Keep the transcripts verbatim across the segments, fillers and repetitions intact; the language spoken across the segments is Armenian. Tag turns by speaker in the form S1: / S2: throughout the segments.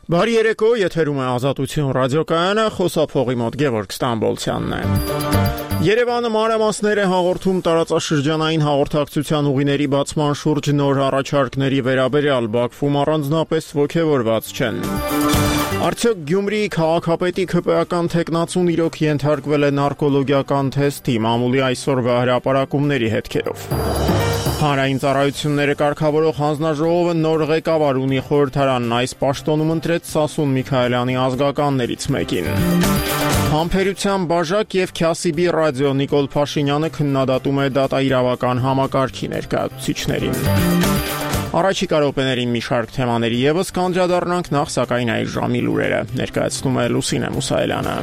S1: Բարի երեկո, եթերում է Ազատություն ռադիոկայանը, խոսափողի մոտ Գևորգ Ստամբոլցյանն է։ Երևանը մանրամասներ է հաղորդում տարածաշրջանային հաղորդակցության ուղիների բացման շուրջ նոր առաջարկների վերաբերյալ, Բաքվում առանձնապես ոգևորված չեն։ Արդյոք Գյումրիի քաղաքապետի քպեական թեկնածուն իրոք ենթարկվել է նարկոլոգիական թեստի, մամուլի այսօրվա հրապարակումների հետքերով։ Հանրային ծառայությունները կարգավորող հանձնաժողովը նոր ղեկավար ունի, խորհրդարանն այս պաշտոնում ընտրեց Սասուն Միքայելյանի ազգականներից մեկին։ Համբերության բաժակ եւ Քյասիբի ռադիո Նիկոլ Փաշինյանը քննադատում է դատաիրավական համակարգի ներկայացուցիչներին։ Առաջիկա րոպեներին մի շարք թեմաների եւս կանդրադառնանք, նախ սակայն այս ժամի լուրերը ներկայացնում է Լուսինե Մուսայելյանը։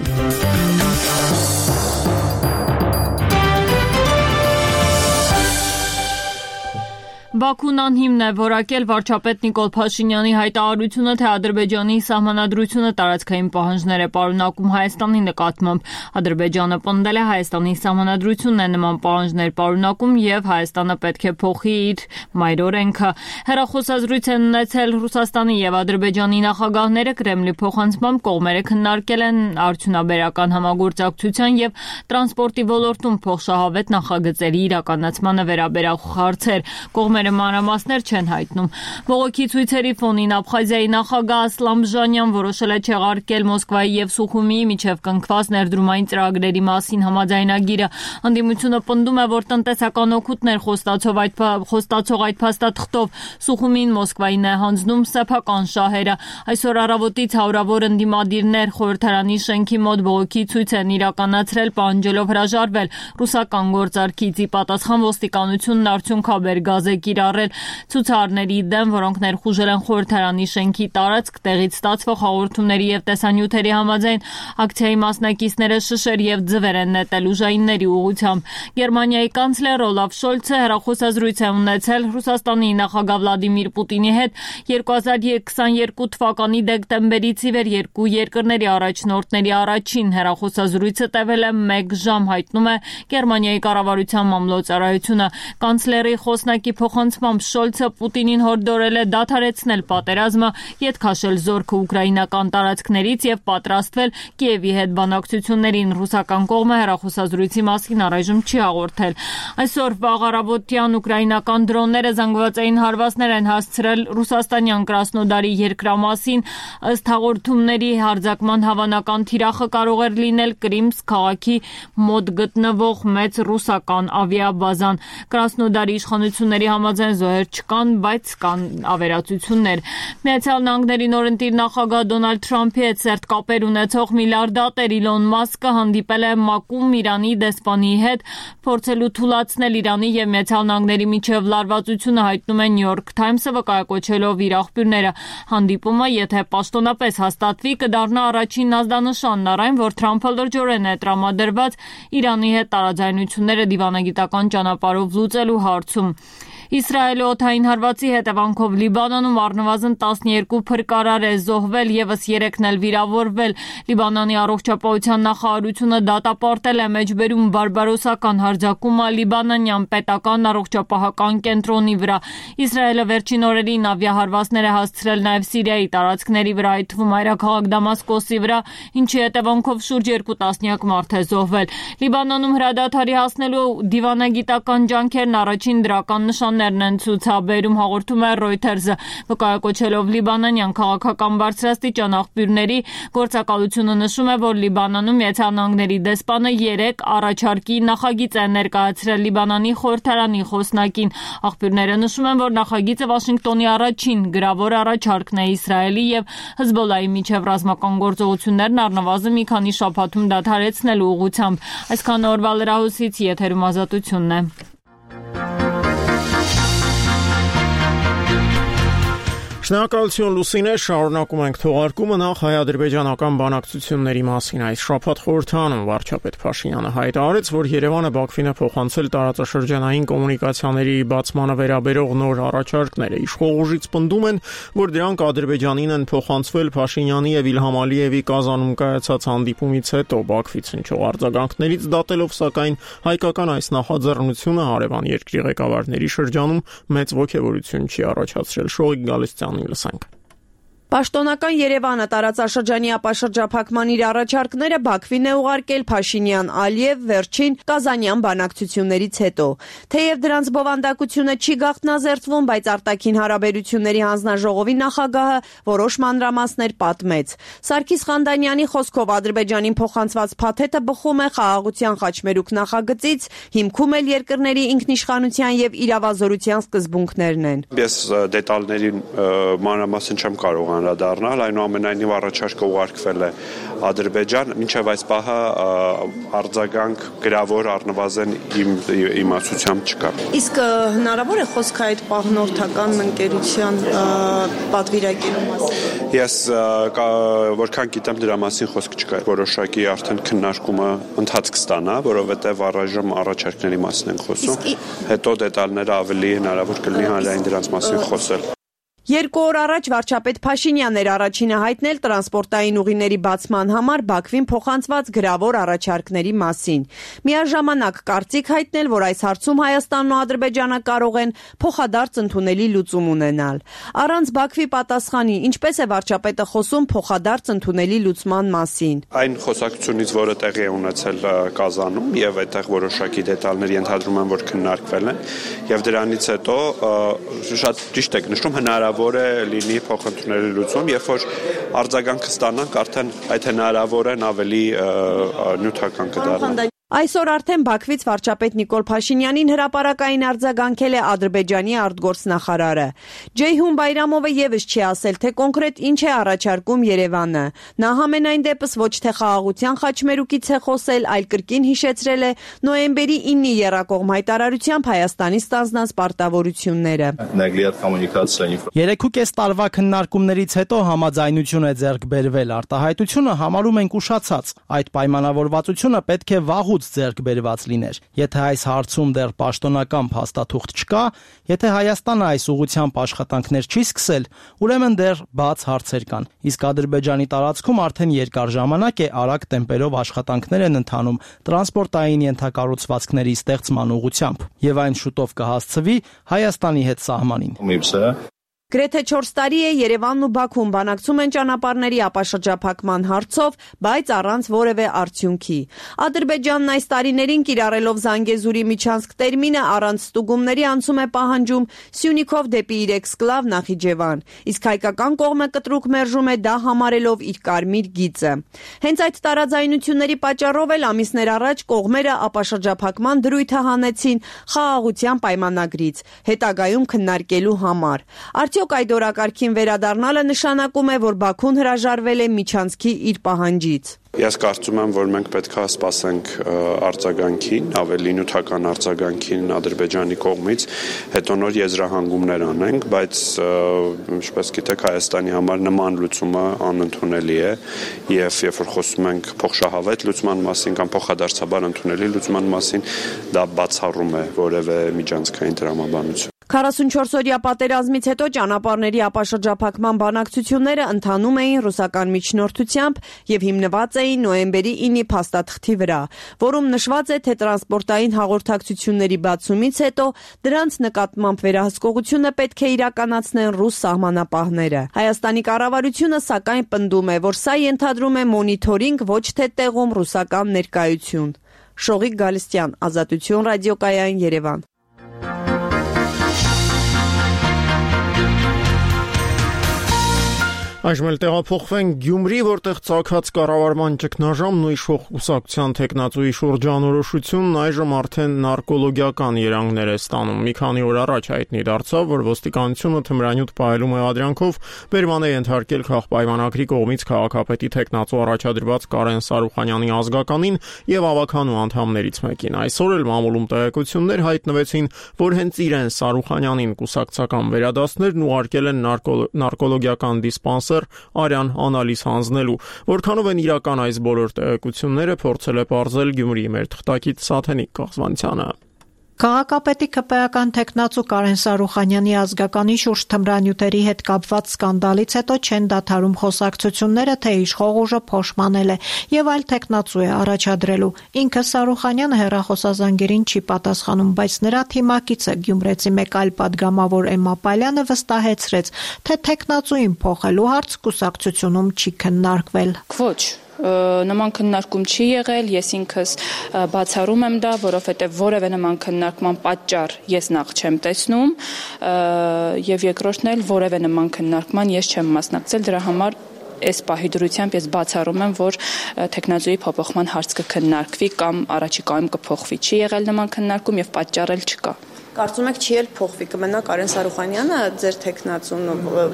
S2: Բաքուն անհիմն է որակել վարչապետ Նիկոլ Փաշինյանի հայտարարությունը, թե Ադրբեջանի սահմանադրությունը տարածքային պահանջներ է պարունակում Հայաստանի նկատմամբ։ Ադրբեջանը պնդել է Հայաստանի սահմանադրությունն է նման պահանջներ պարունակում եւ Հայաստանը պետք է փոխի իր մայրօրենքը։ Հեռախոսազրույց են ունեցել Ռուսաստանի եւ Ադրբեջանի նախագահները, Կրեմլի փոխանցմամբ կողմերը քննարկել են արդյունաբերական համագործակցության եւ տրանսպորտի ոլորտում փոխշահավետ նախագծերի իրականացմանը վերաբերող հարցեր։ Կողմերը մանրամասներ չեն հայտնում։ Բողոքի ցույցերի ֆոնին Աբխազիայի նախագահ Ասլան Բժանյան որոշել է չեղարկել Մոսկվայի եւ Սուխումիի միջև կնքված ներդրումային ծրագրերի մասին համաձայնագիրը։ Ընդդիմությունը պնդում է, որ տնտեսական օգուտներ խոստացող այդ խոստացող այդ փաստաթղթով Սուխումին Մոսկվային է հանձնում սեփական շահերը։ Այսօր առավոտից հարյուրավոր ընդդիմադիրներ խորհրդարանի շենքի մոտ բողոքի ցույց են իրականացրել, պահանջելով հրաժարվել ռուսական գործարքից։ Ի պատասխան ոստիկանությունն արդյունքաբեր գազ է կիրառել ցուցարարների դեմ, որոնք ներխուժել են խորհրդարանի շենքի տարածք, տեղից ստացվող հաղորդումների եւ տեսանյութերի համաձայն ակցիայի մասնակիցները շշեր եւ ձվեր են նետել ուժայինների ուղղությամբ։ Գերմանիայի կանցլեր Օլաֆ Շոլցը հեռախոսազրույց է ունեցել Ռուսաստանի նախագահ Վլադիմիր Պուտինի հետ երկու հազար քսաներկու թվականի դեկտեմբերից ի վեր երկու երկրների առաջնորդների առաջին հեռախոսազրույցը տևել է մեկ ժամ, հայտնում է Գերմանիայի կառավարության մամլոյցարայությունը։ Կանցլերի խոսնակի փոխանցմամբ Շոլցը Պուտինին հորդորել է դադարեցնել պատերազմը, ետ քաշել զորքը ուկրաինական տարածքներից եւ պատրաստվել Կիևի հետ բանակցություններին։ Ռուսական կողմը հեռախոսազրույցի մասին առայժմ չի հաղորդել։ Այսօր վաղ առավոտյան ուկրաինական դրոնները զանգվածային հարվածներ են հասցրել ռուսաստանյան Կրասնոդարի երկրամասին։ Ըստ հաղորդումների հարձակման հավանական թիրախը կարող էր լինել Կրիմսկ քաղաքի մոտ գտնվող մեծ ռուսական ավիաբազան։ Կրասնոդարի իշխանությունների համաձայն զոհեր չկան, բայց կան ավերածություններ։ Միացյալ Նահանգների նորընտիր նախագահ Դոնալդ Թրամփի հետ սերտ կապեր ունեցող միլիարդատեր Իլոն Մասկը հանդիպել է ՄԱԿ-ում Իրանի դեսպանի հետ, փորձելու թուլացնել Իրանի եւ Միացյալ Նահանգների միջև լարվածությունը, հայտնում է Նյու Յորք Թայմսը, վկայակոչելով իր աղբյուրները։ Հանդիպումը, եթե պաշտոնապես հաստատվի, կդառնա առաջին ազդանշանն առ այն, որ Թրամփը լրջորեն է տրամադրված Իրանի հետ տարաձայնությունները դիվանագիտական ճանապարհով լուծելու հարցում։ Իսրայելի օդային հարվածի հետևանքով Լիբանանում առնվազն տասներկու փրկարար է զոհվել, եւս երեքն էլ վիրավորվել։ Լիբանանի առողջապահության նախարարությունը դատապարտել է մեջբերում բարբարոսական հարձակումը լիբանանյան պետական առողջապահական կենտրոնի վրա։ Իսրայելը վերջին օրերին ավիահարվածներ է հասցրել նաեւ Սիրիայի տարածքների վրա, այդ թվում այրաքաղաք Դամասկոսի վրա, ինչի հետևանքով շուրջ երկու տասնյակ մարդ է զոհվել։ Լիբանանում հրադադարի հասնելու դիվանագիտական ջանքերն առաջին դրական նշաններ են ցուցաբերում, հաղորդում է Reuters-ը, վկայակոչելով լիբանանյան քաղաքական բարձրաստիճան աղբյուրների գործակալությունը նշում է, որ Լիբանանում Միացյալ Նահանգների դեսպանը երեք առաջարկի նախագիծ է ներկայացրել Լիբանանի խորհրդարանի խոսնակին։ Աղբյուրները նշում են, որ նախագիծը Վաշինգտոնի առաջին գրավոր առաջարկն է Իսրայելի եւ Հեզբոլլայի միջև ռազմական գործողություններն առնվազն մի քանի շաբաթում դադարեցնելու ուղղությամբ։ Այսքան օրվա լրահոսից եթերում Ազատությունն է։
S1: Շնորհակալություն Լուսինե, շարունակում ենք թողարկումը, նախ հայ-ադրբեջանական բանակցությունների մասին այս շաբաթ խորհրդարանում վարչապետ Փաշինյանը հայտարարեց, որ Երևանը Բաքվին է փոխանցել տարածաշրջանային կոմունիկացիաների բացմանը վերաբերող նոր առաջարկները։ Իշխող ուժից պնդում են, որ դրանք Ադրբեջանին են փոխանցվել Փաշինյանի եւ Իլհամ Ալիևի Կազանում կայացած հանդիպումից հետո։ Բաքվից հնչող արձագանքներից դատելով, սակայն հայկական այս նախաձեռնությունը հարևան երկրի ղեկավարների շրջանում մեծ ոգևորություն չի առաջացրել։ Շողիկ Գալստյանը լսենք։
S3: Պաշտոնական Երևանը տարածաշրջանի ապաշրջափակման իր առաջարկները Բաքվին է ուղարկել Փաշինյան-Ալիև վերջին Կազանյան բանակցություններից հետո։ Թեև դրանց բովանդակությունը չի գաղտնազերծվում, բայց արտաքին հարաբերությունների հանձնաժողովի նախագահը որոշ մանրամասներ պատմեց։ Սարգիս Խանդանյանի խոսքով Ադրբեջանին փոխանցված փաթեթը բխում է խաղաղության խաչմերուկ նախագծից, հիմքում էլ երկրների ինքնիշխանության եւ իրավազորության սկզբունքներն են։
S4: Ես դետալների մանրամասն չեմ կարող անդրադառնալ, այնուամենայնիվ առաջարկը ուղարկվել է Ադրբեջան, մինչև այս պահը արձագանք գրավոր առնվազն իմ իմացությամբ չկա։
S3: Իսկ հնարավոր է խոսքը այդ պահնորդական ընկերության պատվիրակելու մասին։
S4: Ես որքան գիտեմ դրա մասին խոսք չկա։ Որոշակի արդեն քննարկումը ընթացք կստանա, որովհետև առայժմ առաջարկների մասին ենք խոսում։ Հետո դետալները ավելի հնարավոր կլինի հանրային դրանց մասին խոսել։
S3: Երկու օր առաջ վարչապետ Փաշինյանն էր առաջինը հայտնել տրանսպորտային ուղիների բացման համար Բաքվին փոխանցված գրավոր առաջարկների մասին։ Միաժամանակ կարծիք հայտնել, որ այս հարցում Հայաստանն ու Ադրբեջանը կարող են փոխադարձ ընդունելի լուծում ունենալ։ Առանց Բաքվի պատասխանի, ինչպես է վարչապետը խոսում փոխադարձ ընդունելի լուծման մասին։
S4: Այն խոսակցությունից, որը տեղի է ունեցել Կազանում եւ այդտեղ որոշակի դետալներ ենթադրում են, որ քննարկվել են, եւ դրանից հետո շատ ճիշտ եք նշում հնարավոր որ է լինի փոխընդունելի լուծում, երբ որ արձագանք կստանանք, արդեն այդ հնարավորն ավելի նյութական կդառնա։
S3: Այսօր արդեն Բաքվից վարչապետ Նիկոլ Փաշինյանին հրապարակային արձագանքել է Ադրբեջանի արտգործնախարարը։ Ջեյհուն Բայրամովը եւս չի ասել, թե կոնկրետ ինչ է առաջարկում Երևանը։ Նա համենայն դեպս ոչ թե խաղաղության խաչմերուկից է խոսել, այլ կրկին հիշեցրել է նոյեմբերի ինը եռակողմ հայտարարությամբ Հայաստանի ստանձնած պարտավորությունները։
S5: Երեք ու կես տարվա քննարկումներից հետո համաձայնություն է ձեռք բերվել, արտահայտությունը համարում ենք ուշացած։ Այդ պայմանավորվածությունը պետք է վաղուց ձեռք բերված լիներ։ Եթե այս հարցում դեռ պաշտոնական փաստաթուղթ չկա, եթե Հայաստանը այս ուղղությամբ աշխատանքներ չի սկսել, ուրեմն դեռ բաց հարցեր կան։ Իսկ Ադրբեջանի տարածքում արդեն երկար ժամանակ է արագ տեմպերով աշխատանքներ են ընթանում տրանսպորտային ենթակառուցվածքների ստեղծման ուղղությամբ, եւ այն շուտով կհասցվի Հայաստանի հետ սահմանին։
S3: Գրեթե չորս տարի է Երևանն ու Բաքուն բանակցում են ճանապարհների ապաշրջափակման հարցով, բայց առանց որևէ արդյունքի։ Ադրբեջանն այս տարիներին կիրառելով Զանգեզուրի միջանցք տերմինը առանց ստուգումների անցում է պահանջում Սյունիքով դեպի իր էքսկլավ Նախիջևան, իսկ հայկական կողմը կտրուկ մերժում է դա համարելով իր կարմիր գիծը։ Հենց այդ տարաձայնությունների պատճառով էլ ամիսներ առաջ կողմերը ապաշրջափակման դրույթը հանեցին խաղաղության պայմանագրից, հետագայում քննարկելու համար։ Արդյոք այդ օրակարգին վերադառնալը նշանակում է, որ Բաքուն հրաժարվել է միջանցքի իր պահանջից։
S4: Ես կարծում եմ, որ մենք պետք է սպասենք արձագանքին, ավելի նյութական արձագանքին Ադրբեջանի կողմից, հետո նոր եզրահանգումներ անենք, բայց ինչպես գիտեք, Հայաստանի համար նման լուծումը անընդունելի է, եւ երբ որ խոսում ենք փոխշահավետ լուծման մասին կամ փոխադարձաբար ընդունելի լուծման մասին, դա բացառում է որևէ միջանցքային տրամաբանություն։
S3: քառասունչորս օրյա պատերազմից հետո ճանապարհների ապաշրջափակման բանակցությունները ընթանում էին ռուսական միջնորդությամբ եւ հիմնված էին նոյեմբերի ինը փաստաթղթի վրա, որում նշված է, թե տրանսպորտային հաղորդակցությունների բացումից հետո դրանց նկատմամբ վերահսկողությունը պետք է իրականացնեն ռուս սահմանապահները։ Հայաստանի կառավարությունը սակայն պնդում է, որ սա ենթադրում է մոնիթորինգ, ոչ թե տեղում ռուսական ներկայություն։ Շողիկ Գալստյան, Ազատություն ռադիոկայան, Երևան։
S1: Այժմ էլ տեղափոխվենք Գյումրի, որտեղ ցակած կառավարման ճգնաժամն ու իշխող կուսակցության տեխնացուի շրջանորոշությունն այժմ արդեն նարկոլոգիական երանգներ է ստանում։ Մի քանի օր առաջ հայտնի դարձավ, որ ոստիկանությունը թմրանյութ պահելու մեղադրանքով բերման է ենթարկել քաղաքապայմանագրի կողմից քաղաքապետի տեխնացու առաջադրված Կարեն Սարուխանյանի ազգականին եւ ավականու անդամներից մեկին։ Այսօր էլ մամուլում տեղեկություններ հայտնվեցին, որ հենց իրեն Սարուխանյանին կուսակցական վերադասներն ուղարկել են նարկոլոգիական դիսպանսեր Արյան անալիզ հանձնելու։ Որքանով են իրական այս բոլոր տեղեկությունները, փորձել է պարզել Գյումրիի մեր թղթակից Սաթենիկ Կաղզվանցյանը։
S6: Քաղաքապետի ԿՊ-ական տեխնացու Կարեն Սարուխանյանի ազգականի շուրջ թմրանյութերի հետ կապված սկանդալից հետո չեն դադարում խոսակցությունները, թե իշխող ուժը փոշմանել է եւ այլ տեխնացու է առաջադրելու։ Ինքը Սարուխանյանը հեռախոսազանգերին չի պատասխանում, բայց նրա թիմակիցը գյումրեցի մեկ այլ падգամավոր Էմմա Պալյանը վստահեցրեց, թե տեխնացուին փոխելու հարց կուսակցությունում չի քննարկվել։
S7: Ոչ նման քննարկում չի եղել, ես ինքս բացառում եմ դա, որովհետև որևէ նման քննարկման պատճառ ես նախ չեմ տեսնում եւ երկրորդն էլ որևէ նման քննարկման ես չեմ մասնակցել, դրա համար այս պահի դրությամբ ես բացառում եմ, որ տեխնազուի փոփոխման հարց կքննարկվի կամ առաջիկայում կփոխվի։ Չի եղել նման քննարկում եւ պատճառ էլ չկա։
S3: Կարծում եք չի էլ փոխվի, կմնա Կարեն Սարուխանյանը ձեր տեխնացուն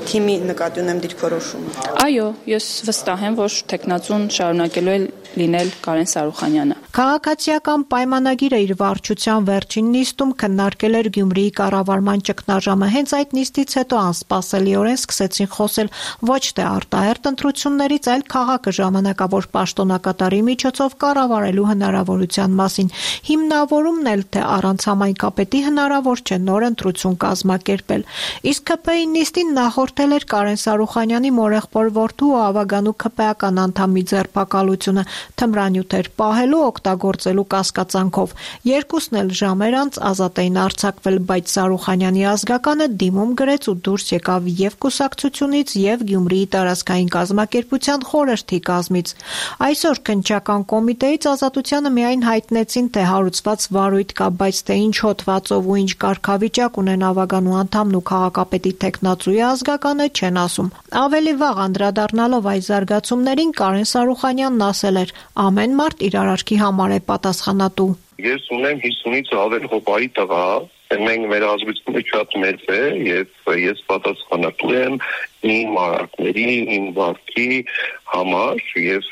S3: թիմի նկատի ունեմ դիրքորոշումը։
S7: Այո, ես վստահ եմ, որ տեխնացուն շարունակելու է լինել Կարեն Սարուխանյանը։
S6: Քաղաքացիական պայմանագիրը իր վարչության վերջին նիստում քննարկել էր Գյումրիի կառավարման ճգնաժամը։ Հենց այդ նիստից հետո անսպասելիորեն սկսեցին խոսել ոչ թե արտահերթ ընտրություններից, այլ քաղաքը ժամանակավոր պաշտոնակատարի միջոցով կառավարելու հնարավորության մասին։ Հիմնավորումն էլ թե առանց համայնքապետի հնարավոր չէ նոր ընտրություն կազմակերպել։ Իսկ ԿՊ-ի նիստին նախորդել էր Կարեն Սարուխանյանի մորեղբոր որդու ու ավագանու ԿՊ-ական անդամի ձերբակալությունը թմրանյութեր պահելու օգտագործելու կասկածանքով։ Երկուսն էլ ժամեր անց ազատ էին արձակվել, բայց Սարուխանյանի ազգականը դիմում գրեց ու դուրս եկավ եւ կուսակցությունից եւ Գյումրիի տարածքային կազմակերպության խորհրդի կազմից։ Այսօր քննչական կոմիտեից Ազատությանը միայն հայտնեցին, թե հարուցված վարույթ կա, բայց թե ինչ հոդվածով ու ինչ կարգավիճակ ունեն ավագանու անդամն ու քաղաքապետի տեխնացուի ազգականը չեն ասում։ Ավելի վաղ անդրադառնալով այս զարգացումներին Կարեն Սարուխանյանն ասել էր. ամեն մարդ իր արարքի համար է պատասխանատու։
S8: Ես ունեմ հիսունից ավել հոպայի տղա, մենք մեր ազգությունը շատ մեծ է եւ ես պատասխանատու եմ իմ արարքների, իմ վարքի համար եւ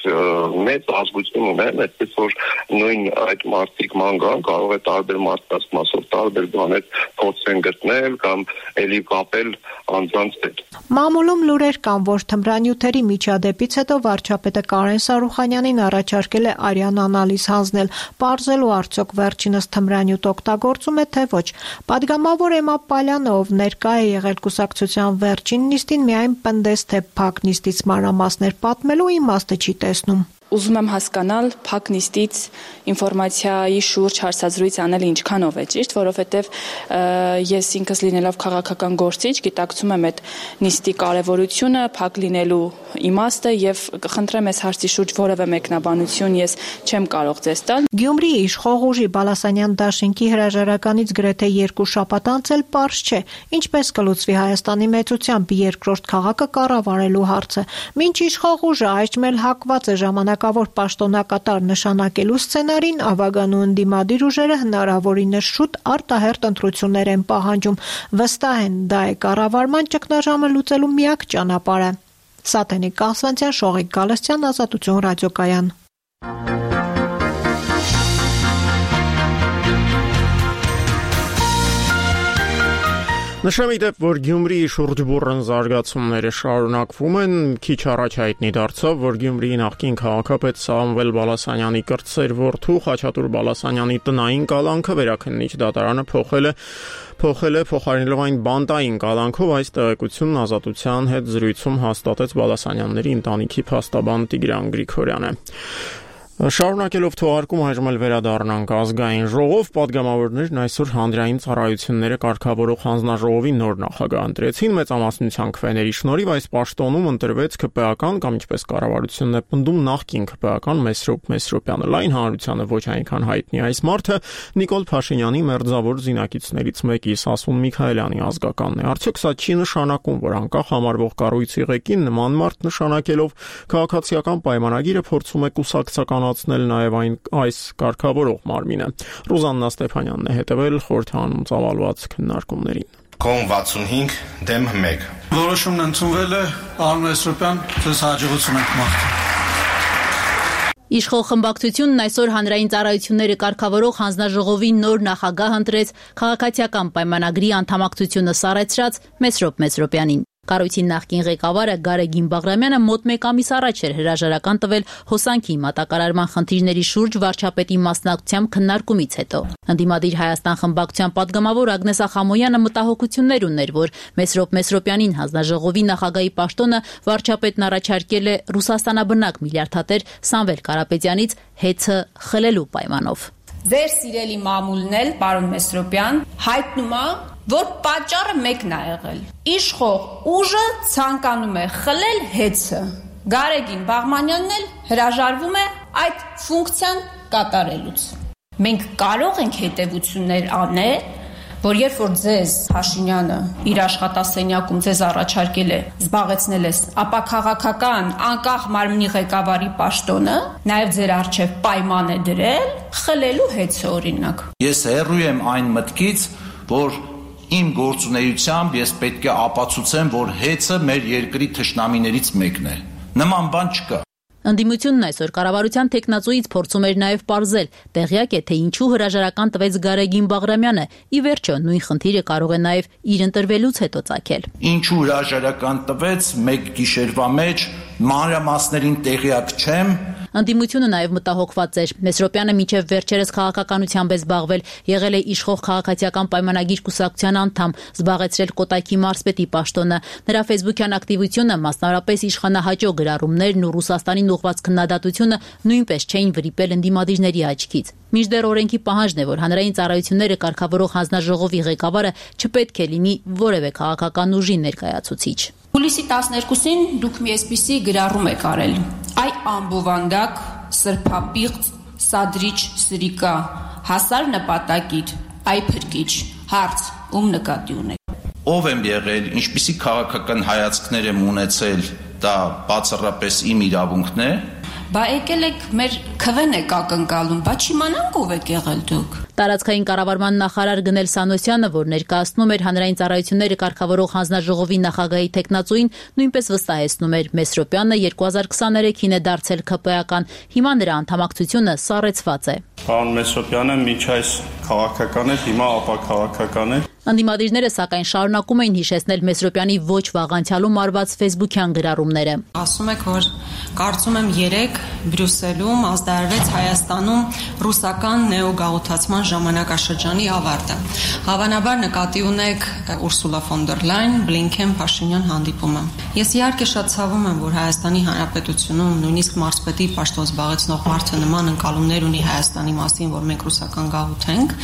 S8: մեծ ազգություն ունեմ, այդպես որ նույն այդ մարդիկ ման գան, կարող է տարբեր մարդկանց մասով տարբեր բաներ փորձեն գտնել կամ էլի կապել անձանց հետ։
S6: Մամուլում լուրեր կան, որ թմրանյութերի միջադեպից հետո վարչապետը Կարեն Սարուխանյանին առաջարկել է արյան անալիզ հանձնել, պարզելու արդյոք վերջինս թմրանյութ օգտագործում է, թե ոչ։ Պատգամավոր Էմմա Պալյանը, ով ներկա է եղել կուսակցության վերջին նիստին, միայն պնդեց, թե փակ նիստից մանրամասներ պատմելու իմաստը չի տեսնում։
S7: Ուզում եմ հասկանալ փակ նիստից ինֆորմացիայի շուրջ հարցազրույց անելը ինչքանով է ճիշտ, որովհետև ես ինքս լինելով քաղաքական գործիչ գիտակցում եմ այդ նիստի կարևորությունը, փակ լինելու իմաստը եւ կխնդրեմ այս հարցի շուրջ որևէ մեկնաբանություն ես չեմ կարող ձեզ տալ։
S6: Գյումրիի իշխող ուժի Բալասանյան դաշինքի հրաժարականից գրեթե երկու շաբաթ անց էլ պարզ չէ, ինչպես կլուծվի Հայաստանի մեծությամբ երկրորդ քաղաքը կառավարելու հարցը։ Մինչ իշխող ուժը այժմ հակված է ժամանակավոր պաշտոնակատար նշանակելու սցենարին, ավագանու ընդդիմադիր ուժերը հնարավորինս շուտ արտահերթ ընտրություններ են պահանջում։ Վստահ են, դա է կառավարման ճգնաժամը լուծելու միակ ճանապարհը։ Սաթենիկ Կասվանցյան, Շողիկ Գալստյան, Ազատություն ռադիոկայան։
S1: Նշեմ իդեպ, որ Գյումրիի շուրջ բուռն զարգացումները շարունակվում են, քիչ առաջ հայտնի դարձավ, որ Գյումրիի նախկին քաղաքապետ Սամվել Բալասանյանի կրտսեր որդու Խաչատուր Բալասանյանի տնային կալանքը վերաքննիչ դատարանը փոխել է փոխել է փոխարինելով այն բանտային կալանքով։ Այս տեղեկությունն Ազատության հետ զրույցում հաստատեց Բալասանյանների ընտանիքի փաստաբան Տիգրան Գրիգորյանը։ Շարունակելով թողարկում այժմ էլ վերադառնանք ազգային ժողով, պատգամավորներն այսօր հանրային ծառայությունները կարգավորող հանձնաժողովի նոր նախագահ ընտրեցին, մեծամասնության քվեների շնորհիվ այս պաշտոնում ընտրվեց ԿՊ-ական կամ ինչպես կառավարությունն է պնդում նախկին ԿՊ-ական Մեսրոպ Մեսրոպյանը։ Լայն հանրությանը ոչ այնքան հայտնի այս մարդը Նիկոլ Փաշինյանի մերձավոր զինակիցներից մեկի Սասուն Միքայելյանի ազգականն է։ Արդյոք սա չի նշանակում, որ անկախ համարվող կառույցի ղեկին նման մարդ նշանակելով քաղաքացիական պայմանագիրը փորձում է կուսակցական նաև այն այս կարգավորող մարմինը։ Ռուզաննա Ստեփանյանն է հետևել խորհրդանում ծավալված քննարկումներին։
S9: Կոմ վաթսունհինգ դեմ մեկ։
S10: Որոշումն ընդունվել է, Արոն Մեսրոպյան, ձեզ հաջողություն ենք մաղթում։
S11: Իշխող խմբակցությունն այսօր հանրային ծառայությունները կարգավորող հանձնաժողովի նոր նախագահ ընտրեց քաղաքացիական պայմանագրի անդամակցությունը սառեցրած Մեսրոպ Մեսրոպյանին։ Կառույցի նախկին ղեկավարը Գարեգին Բաղրամյանը մոտ մեկ ամիս առաջ էր հրաժարական տվել հոսանքի մատակարարման խնդիրների շուրջ վարչապետի մասնակցությամբ քննարկումից հետո։ Ընդդիմադիր Հայաստան խմբակցության պատգամավոր Ագնես Ախամոյանը մտահոգություններ ուներ, որ Մեսրոպ Մեսրոպյանին հանձնաժողովի նախագահի պաշտոնը վարչապետն առաջարկել է Ռուսաստանաբնակ միլիարդատեր Սամվել Կարապետյանից հեծը խլելու պայմանով։
S12: Ձեր սիրելի մամուլն էլ, պարոն Մեսրոպյան, հայտնում է, որ պատճառը մեկն է եղել։ Իշխող ուժը ցանկանում է խլել հեծը։ Գարեգին Բաղրամյանն էլ հրաժարվում է այդ ֆունկցիան կատարելուց։ Մենք կարող ենք հետևություններ անել, որ երբ որ ձեզ Փաշինյանը իր աշխատասենյակում ձեզ առաջարկել է զբաղեցնել ես, ապա քաղաքական անկախ մարմնի ղեկավարի պաշտոնը նաև ձեր առջև պայման է դրել խլելու հեծը օրինակ։
S13: Ես հեռու եմ այն մտքից, որ իմ գործունեությամբ ես պետք է ապացուցեմ, որ հեծը մեր երկրի թշնամիներից մեկն է։ Նման բան չկա։
S11: Ընդդիմությունն այսօր կառավարության տեխնացուից փորձում էր նաև պարզել, տեղյակ է, թե ինչու հրաժարական տվեց Գարեգին Բաղրամյանը, ի վերջո նույն խնդիրը կարող է նաև իր ընտրվելուց հետո ծագել։
S13: Ինչու հրաժարական տվեց, մեկ գիշերվա մեջ մանրամասներին տեղյակ չեմ։
S11: Ընդդիմությունը նաև մտահոգված էր։ Մեսրոպյանը մինչև վերջերս քաղաքականությամբ է զբաղվել, եղել է իշխող քաղաքացիական պայմանագիր կուսակցության անդամ, զբաղեցրել Կոտայքի մարզպետի պաշտոնը։ Նրա ֆեյսբուքյան ակտիվությունը, մասնավորապես իշխանահաճո գրառումներն ու Ռուսաստանին ուղղված քննադատությունը նույնպես չէին վրիպել ընդդիմադիրների աչքից։ Մինչդեռ օրենքի պահանջն է, որ հանրային ծառայությունները կարգավորող հանձնաժողովի ղեկավարը չպետք է լինի որևէ քաղաքական ուժի ներկայացուցիչ։
S12: Հուլիսի տասներկուսին դուք մի այսպիսի գրառում եք արել. Այ ամբովանդակ, սրբապիղծ, սադրիչ սրիկա, հասար նպատակիդ, այ փրկիչ, հարց, ում նկատի ունեք։
S13: Ով եմ եղել, ինչպիսի քաղաքական հայացքներ եմ ունեցել, դա բացառապես իմ իրավունքն է։
S12: Բա եկել եք մեր քվեն եք ակնկալում, բա չիմանանք ով եք եղել դուք։
S11: Տարածքային կառավարման նախարար Գնել Սանոսյանը, որ ներկայացնում էր հանրային ծառայությունները կարգավորող հանձնաժողովի նախագահի տեխնացուին, նույնպես վստահեցնում էր Մեսրոպյանը երկու հազար քսաներեքին է դարձել ՔՊ-ական, հիմա նրա անդամակցությունը սառեցված է։
S4: Պարոն Մեսրոպյանը միջ այս քաղաքական է, հիմա ապաքաղաքական է։
S11: Ընդդիմադիրները սակայն շարունակում էին հիշեցնել Մեսրոպյանի ոչ վաղ անցյալում արված ֆեյսբուքյան գրառումները։
S14: Ասում եք, որ կարծում եմ երեք Բրյուսելում ազդարարվեց Հայաստանում ռուսական նեոգաղութացման ժամանակաշրջանի ավարտը։ Հավանաբար նկատի ունեք Ուրսուլա ֆոն դեր Լայն, Բլինքեն, Փաշինյան հանդիպումը։ Ես իհարկե շատ ցավում եմ, որ Հայաստանի Հանրապետությունում նույնիսկ մարզպետի պաշտոն զբաղեցնող մարդը նման ընկալումներ ունի Հայաստանի մասին, որ մենք ռուսական գաղութ ենք։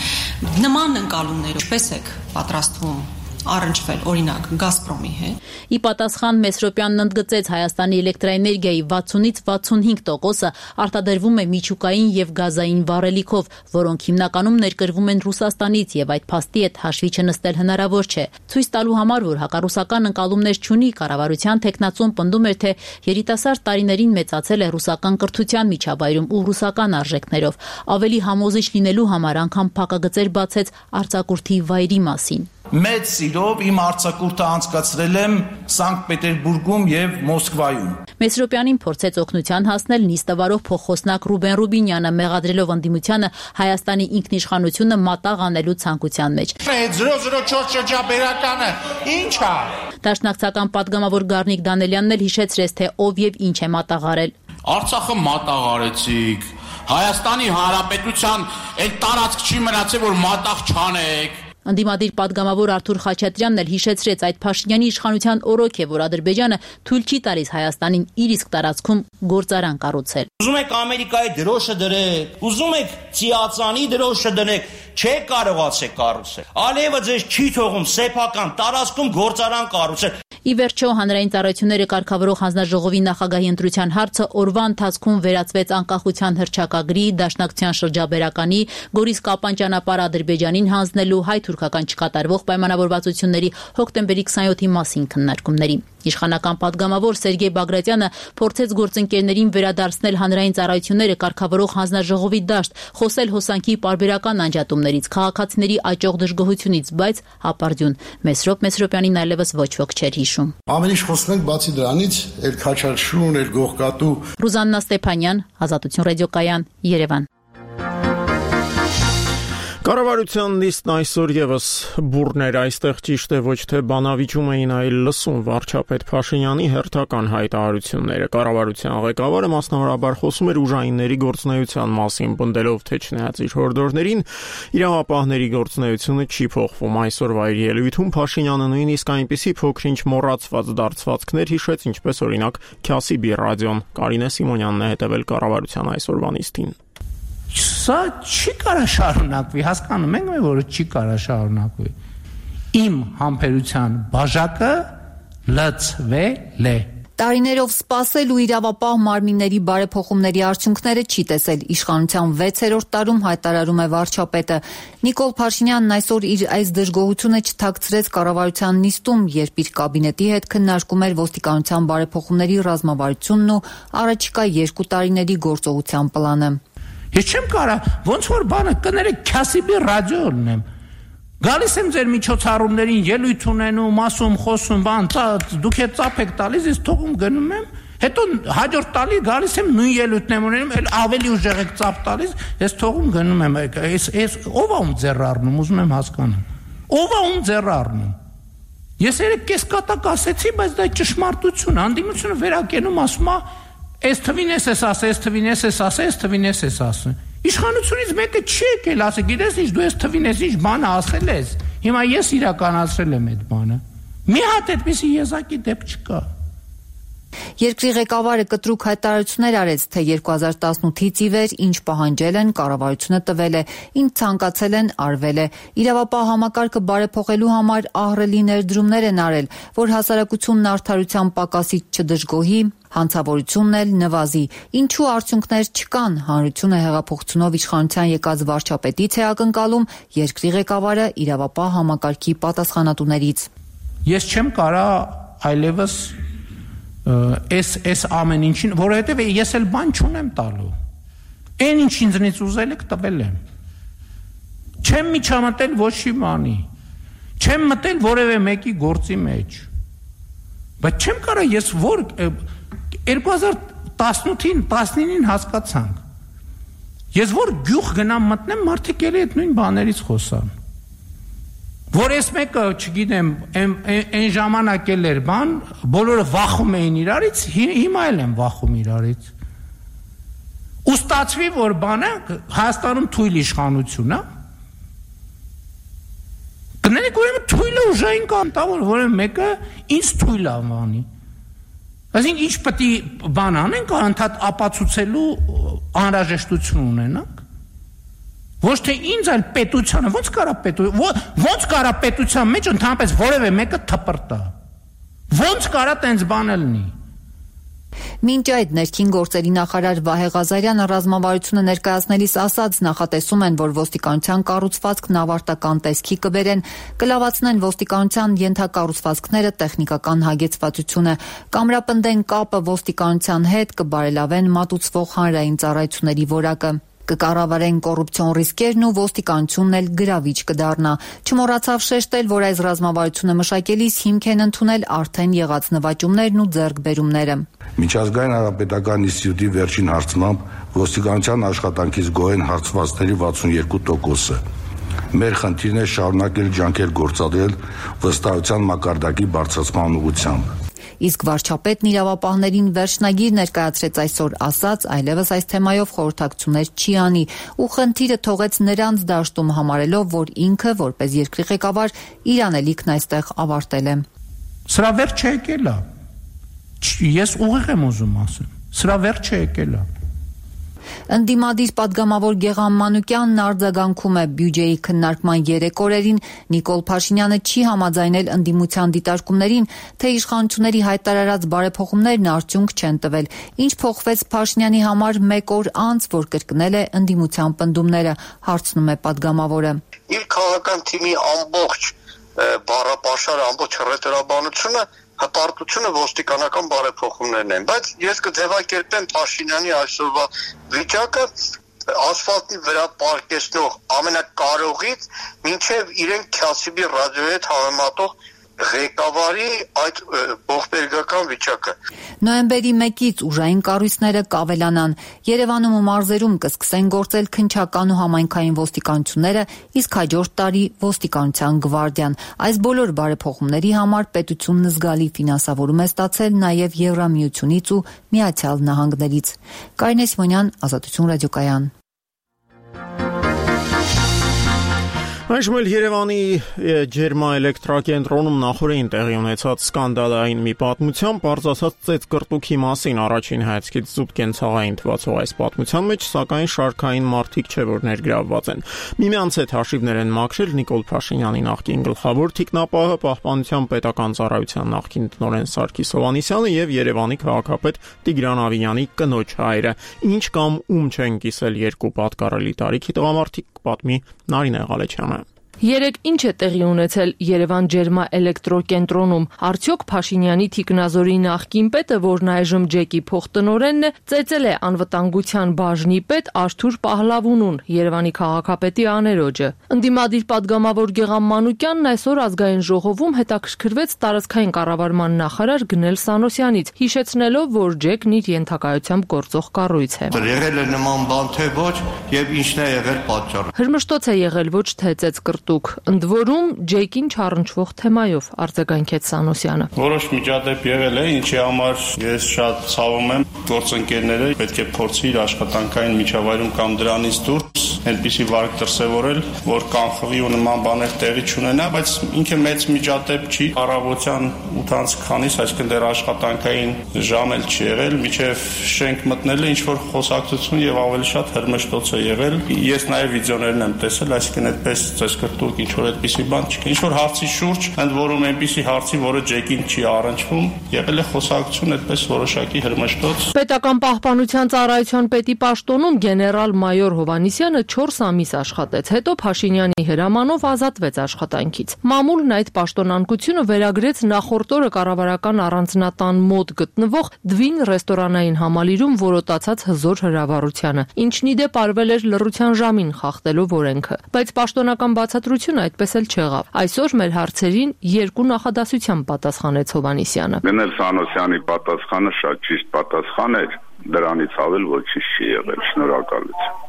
S14: Նման ընկալումներ ինչպես եք պատրաստվում առնչվել օրինակ Գազպրոմի հետ։
S11: Ի պատասխան Մեսրոպյանն ընդգծեց Հայաստանի էլեկտրաէներգիայի վաթսունից վաթսունհինգ տոկոսը արտադրվում է միջուկային եւ գազային վառելիքով, որոնք հիմնականում ներկրվում են Ռուսաստանից եւ այդ փաստի հետ հաշվի չնստել հնարավոր չէ։ Ցույց տալու համար, որ հակառուսական ընկալումներ չունի, կառավարության տեխնացուն պնդում էր, թե երիտասարդ տարիներին մեծացել է ռուսական կրթության միջավայրում ու ռուսական արժեքներով։ Ավելի համոզիչ լինելու համար անգամ փակագծեր բացեց արձակուրդի վայրի մասին։
S13: Մեծ սիրով իմ արձակուրդը անցկացրել եմ Սանկտ Պետերբուրգում եւ Մոսկվայում։
S11: Մեսրոպյանին փորձեց օգնության հասնել նիստավարող փոխոսնակ Ռուբեն Ռուբինյանը, մեղադրելով ընդդիմությանը Հայաստանի ինքնիշխանությունը մատաղ անելու ցանկության մեջ։
S15: զրո զրո չորս շրջաբերականը ի՞նչ է։
S11: Դաշնակցական պատգամավոր Գառնիկ Դանելյանն էլ հիշեցրեց, թե ով եւ ինչ է մատաղարել։
S15: Արցախը մատաղարեցիք։ Հայաստանի Հանրապետության այդ տարածք չի մնացել, որ մատաղ չանեք։
S11: Ընդդիմադիր պատգամավոր Արթուր Խաչատրյանն էլ հիշեցրեց, այդ Փաշինյանի իշխանության օրոք է, որ Ադրբեջանը թույլ չի տալիս Հայաստանին իր իսկ տարածքում գործարան կառուցել։
S16: Ուզում եք Ամերիկայի դրոշը դրեք, ուզում եք Ծիածանի դրոշը դնեք, չեք կարողացեք կառուցել։ Ալիևը ձեզ չի թողում սեփական տարածքում գործարան կառուցել։
S11: Ի վերջո հանրային ծառայությունները կարգավորող հանձնաժողովի նախագահի ընտրության հարցը օրվա ընթացքում վերածվեց անկախության հռչակագրի, Դաշնակցության շրջաբերականի, Գորիս-Կապան ճանապարհ Ադրբեջանին հանձնելու, հայ-թուրքական չկատարվող պայմանավորվածությունների հոկտեմբերի քսանյոթի մասին քննարկումների։ Իշխանական պատգամավոր Սերգեյ Բագրատյանը փորձեց գործընկերներին վերադարձնել հանրային ծառայությունները կարգավորող հանձնաժողովի դաշտ, խոսել հոսանքի պարբերական անջատումներից, քաղաքացիների աճող դժգոհությունից, բայց հապարդյուն։ Մեսրոպ Մեսրոպյանին այլևս ոչ ոք չէր հիշում։
S17: Ամեն ինչ խոսում ենք բացի դրանից, էլ քաչարշուն, էլ գողկատու։
S11: Ռուզաննա Ստեփանյան, Ազատություն ռադիոկայան, Երևան։
S1: Կառավարության նիստն այսօր եւս բուրներ այստեղ ճիշտ է ոչ թե բանավիճում էին, այլ լսում վարչապետ Փաշինյանի հերթական հայտարարությունները։ Կառավարության ղեկավարը մասնավորաբար խոսում էր ուժայինների գործունեության մասին, պնդելով թե չնայած իր հորդորներին, իրավապահների գործունեությունը չի փոխվում։ Այսօրվա իր ելույթում Փաշինյանը նույնիսկ այնպիսի փոքրինչ մոռացված դարձվածքներ հիշեց, ինչպես օրինակ Քյասիբի ռադիոն։ Կարինե Սիմոնյանն է հետևել կառավարության այսօրվա նիստին։
S18: Սա չի կարա շարունակվի, հասկանում ենք, որ չի կարա շարունակվի։ Իմ համբերության բաժակը լցվել է։
S11: Տարիներով սպասել ու իրավապահ մարմինների բարեփոխումների արդյունքները չի տեսել։ Իշխանության վեցերորդ տարում հայտարարում է վարչապետը։ Նիկոլ Փաշինյանն այսօր իր այս դժգոհությունը չթաքցրեց կառավարության նիստում, երբ իր կաբինետի հետ քննարկում էր ոստիկանության բարեփոխումների ռազմավարությունն ու առաջիկա երկու տարիների գործողության պլանը։
S18: Ես չեմ կարա, ոնց որ բանը կներեք Քյասիբի ռադիոն եմ։ Գալիս եմ ձեր միջոցառումներին, ելույթ ունենում, ասում, խոսում, բան, դուք հետ ծափ եք տալիս, ես թողում գնում եմ, հետո հաջորդ տարի գալիս եմ նույն ելույթն եմ ունենում, էլ ավելի ուժեղ եք ծափ տալիս, ես թողում գնում եմ, ես ես ով է ում ձեռ առնում, ուզում եմ հասկանամ։ Ով է ում ձեռ առնում։ Ես երեք կեսկատակ ասեցի, բայց դա ճշմարտություն, անդիմությունը վերակենում ասում է Այս թվին ես ես ասը, այս թվին ես ես ասը, այս թվին ես ես ասը։ Իշխանությունից մեկը չի եկել, ասը, գիտես ինչ, դու այս թվին ես ինչ բանը ասել ես։ Հիմա ես իրականացրել եմ այդ բանը։ Մի հատ այդպիսի եզակի դեպք չկա։
S11: Երկրի ղեկավարը կտրուկ հայտարարություններ արեց, թե երկու հազար տասնութից ի վեր ինչ պահանջել են, կառավարությունը տվել է, ինչ ցանկացել են, արվել է։ Իրավապահ համակարգը բարեփոխելու համար ահռելի ներդրումներ են արել, որ հասարակությունն արդարության պակասից չդժգոհի, հանցավորությունն էլ նվազի։ Ինչու արդյունքներ չկան, հանրությունը հեղափոխությունով իշխանության եկած վարչապետից է ակնկալում երկրի ղեկավարը իրավապահ համակարգի պատասխանատուներից։
S18: Ես չեմ կարա այլևս Այս այս ամեն ինչին, որովհետև ես էլ բան չունեմ տալու։ Այն ինչ ինձնից ուզել եք տվել եմ։ Չեմ միջամտել ոչ մի բանի։ Չեմ մտել որևէ մեկի գործի մեջ։ Բայց չեմ կարա ես որ երկու հազար տասնութին, տասնինին հասկացանք։ Ես որ գյուղ գնամ մտնեմ, մարդիկ էլի այդ նույն բաներից խոսան։ Որ ես մեկը, չգիտեմ, այն ժամանակ էլ էր բան, բոլորը վախում էին իրարից, հիմա էլ եմ վախում իրարից։ Ու ստացվի, որ բանը Հայաստանում թույլ իշխանություն է։ Կներեք, ուրեմն թույլը ուժային կանտա, որ որևէ մեկը ինձ թույլ անվանի։ Այսինքն ինչ պետք է բան անենք, անդադ ապացուցելու անհրաժեշտություն ունենանք։ Ոչ թե ինձ այլ պետությանը, ոնց կարա պետության, ոնց կարա պետության մեջ ընդհանրապես որևէ մեկը թպրտա։ Ոնց կարա տենց բան լինի։
S11: Մինչ այդ ներքին գործերի նախարար Վահե Ղազարյանը ռազմավարությունը ներկայացնելիս ասաց, նախատեսում են, որ ոստիկանության կառուցվածքն ավարտական տեսքի կբերեն, կլավացնեն ոստիկանության ենթակառուցվածքները, տեխնիկական հագեցվածությունը, կամրապնդեն կապը ոստիկանության հետ, կբարելավեն մատուցվող հանրային ծառայությունների որակը։ Կկառավարեն կոռուպցիոն ռիսկերն ու ոստիկանությունն էլ գրավիչ կդառնա։ Չմոռացավ շեշտել, որ այս ռազմավարությունը մշակելիս հիմք են ընդունել արդեն եղած նվաճումներն ու ձեռքբերումները։
S19: Միջազգային հանրապետական ինստիտուտի վերջին հարցմամբ ոստիկանության աշխատանքից գոհ են հարցվածների վաթսունյոթ տոկոսը։ Մեր խնդիրն է շարունակել ջանքեր գործադրել վստահության մակարդակի բարձրացման ուղղությամբ։
S11: Իսկ վարչապետն իրավապահներին վերջնագիր ներկայացրեց այսօր, ասաց, այլևս այս թեմայով խորհրդակցություններ չի անի ու խնդիրը թողեց նրանց դաշտում համարելով, որ ինքը որպես երկրի ղեկավար իր անելիքն այստեղ ավարտել է։
S18: Սրա վերջը եկել է։ Ես ուղիղ եմ ուզում ասեմ։ Սրա վերջը եկել է։
S11: Ընդդիմադիր պատգամավոր Գեղամ Մանուկյանն արձագանքում է բյուջեի քննարկման երեք օրերին Նիկոլ Փաշինյանը չի համաձայնել ընդդիմության դիտարկումներին, թե իշխանությունների հայտարարած բարեփոխումներն արդյունք չեն տվել, ինչ փոխվեց Փաշինյանի համար մեկ օր անց, որ կրկնել է ընդդիմության պնդումները, հարցնում է պատգամավորը։
S8: Իր քաղաքական թիմի ամբողջ բառապաշարը, ամբողջ հռետորաբանությունը հպարտությունը ոստիկանական բարեփոխումներն են, բայց ես կձևակերպեմ Փաշինյանի այսօրվա վիճակը ասֆալտի վրա պարկեսնող ամենակարողից մինչև իրեն Քյասիբի ռադիոյի հետ համեմատող ղեկավարի այդ ողբերգական վիճակը։
S20: Նոյեմբերի մեկից ուժային կառույցները կավելանան։ Երևանում ու մարզերում կսկսեն գործել քննչական ու համայնքային ոստիկանությունները, իսկ հաջորդ տարի ոստիկանության գվարդիան։ Այս բոլոր բարեփոխումների համար պետությունն զգալի ֆինանսավորում է ստացել նաև Եվրամիությունից ու Միացյալ Նահանգներից։ Կարինե Սիմոնյան, Ազատություն ռադիոկայան։
S1: Այժմ էլ Երևանի ջերմաէլեկտրակենտրոնում նախորդին տեղի ունեցած սկանդալային մի պատմությամբ արձասած ծեծկռտուքի մասին առաջին հայացքից զուտ կենցաղային թվացող այս պատմության մեջ, սակայն շարքային մարդիկ չէ, որ ներգրավված են։ Միմյանց հետ հաշիվներ են մաքրել Նիկոլ Փաշինյանի նախկին գլխավոր թիկնապահը, Պահպանության պետական ծառայության նախկին տնօրեն Սարգիս Հովհաննիսյանը եւ Երևանի քաղաքապետ Տիգրան Ավինյանի կնոջ հայրը։ Ինչ կամ ում չեն կիսել երկու պատկառելի տարիքի տղամարդիկ, պատմի Նարինե Ղալեչյանը։
S21: Երեկ ինչ է տեղի ունեցել Երևան ջերմաէլեկտրոկենտրոնում։ Արդյոք Փաշինյանի թիկնազորի նախկին պետը, որն այժմ ջեկի փոխտնօրենն է, ծեծել է անվտանգության բաժնի պետ Արթուր Պահլավունուն, Երևանի քաղաքապետի աներոջը։ Ընդդիմադիր падգամավոր Գեգամ Մանուկյանն այսօր ազգային ժողովում հետաքրքրվեց տարածքային կառավարման նախարար Գնել Սանոսյանից, հիշեցնելով, որ ջեկն իր ենթակայությամբ գործող կառույց է։
S8: Եղել է նման բան թե ոչ, եւ ինչն է եղել պատճառը։
S21: Հրմշտոց է եղել, ոչ թե ծեծկռտուք։ Ընդ որում ջեկին չառնչվող թեմայով արձագանքեց Սանոսյանը։
S4: Որոշ միջադեպ եղել է, ինչի համար ես շատ ցավում եմ, գործընկերները պետք է փորձի իր աշխատանքային միջավայրում կամ դրանից դուրս այնպիսի վարք դրսևորել, որ կանխվի ու նման բաներ տեղի չունենա, բայց ինքը մեծ միջադեպ չի, առավոտյան ութ քանիս, այսինքն դեռ աշխատանքային ժամ էլ չի եղել, միջև շենք մտնելը ինչ որ խոսակցություն եւ ավելի շատ հրմշտոց է եղել։ Ես նաեւ վիդեոներն եմ տեսել, այսինքն այդպես ծեսկրտուկ ինչ որ այդպիսի բան չկա։ Ինչ որ հարցի շուրջ, ընդ որում այնպիսի հարցի, որը ջեկին չի առնչվում, եղել է խոսակցություն այդպես որոշակի հրմշտոց։
S21: Պետական պահպանության ծառայության պետի պաշտոնում գեներալ-մայոր Հովհաննիսյանը չորս ամիս աշխատեց, հետո Փաշինյանի հրամանով ազատվեց աշխատանքից։ Մամուլն այդ պաշտոնանկությունը վերագրեց նախորդ օրը կառավարական առանձնատան մոտ գտնվող Դվին ռեստորանային համալիրում որոտացած հզոր հրավառությանը, ինչն ի դեպ արվել էր լռության ժամին խախտելով օրենքը։ Բայց պաշտոնական բացատրությունը այդպես էլ չեղավ։ Այսօր մեր հարցերին երկու նախադասությամբ պատասխանեց Հովհաննիսյանը։
S22: Գնել Սանոսյանի պատասխանը շատ ճիշտ պատասխան էր, դրանից ավել ոչինչ չի եղել։ Շնորհակալություն։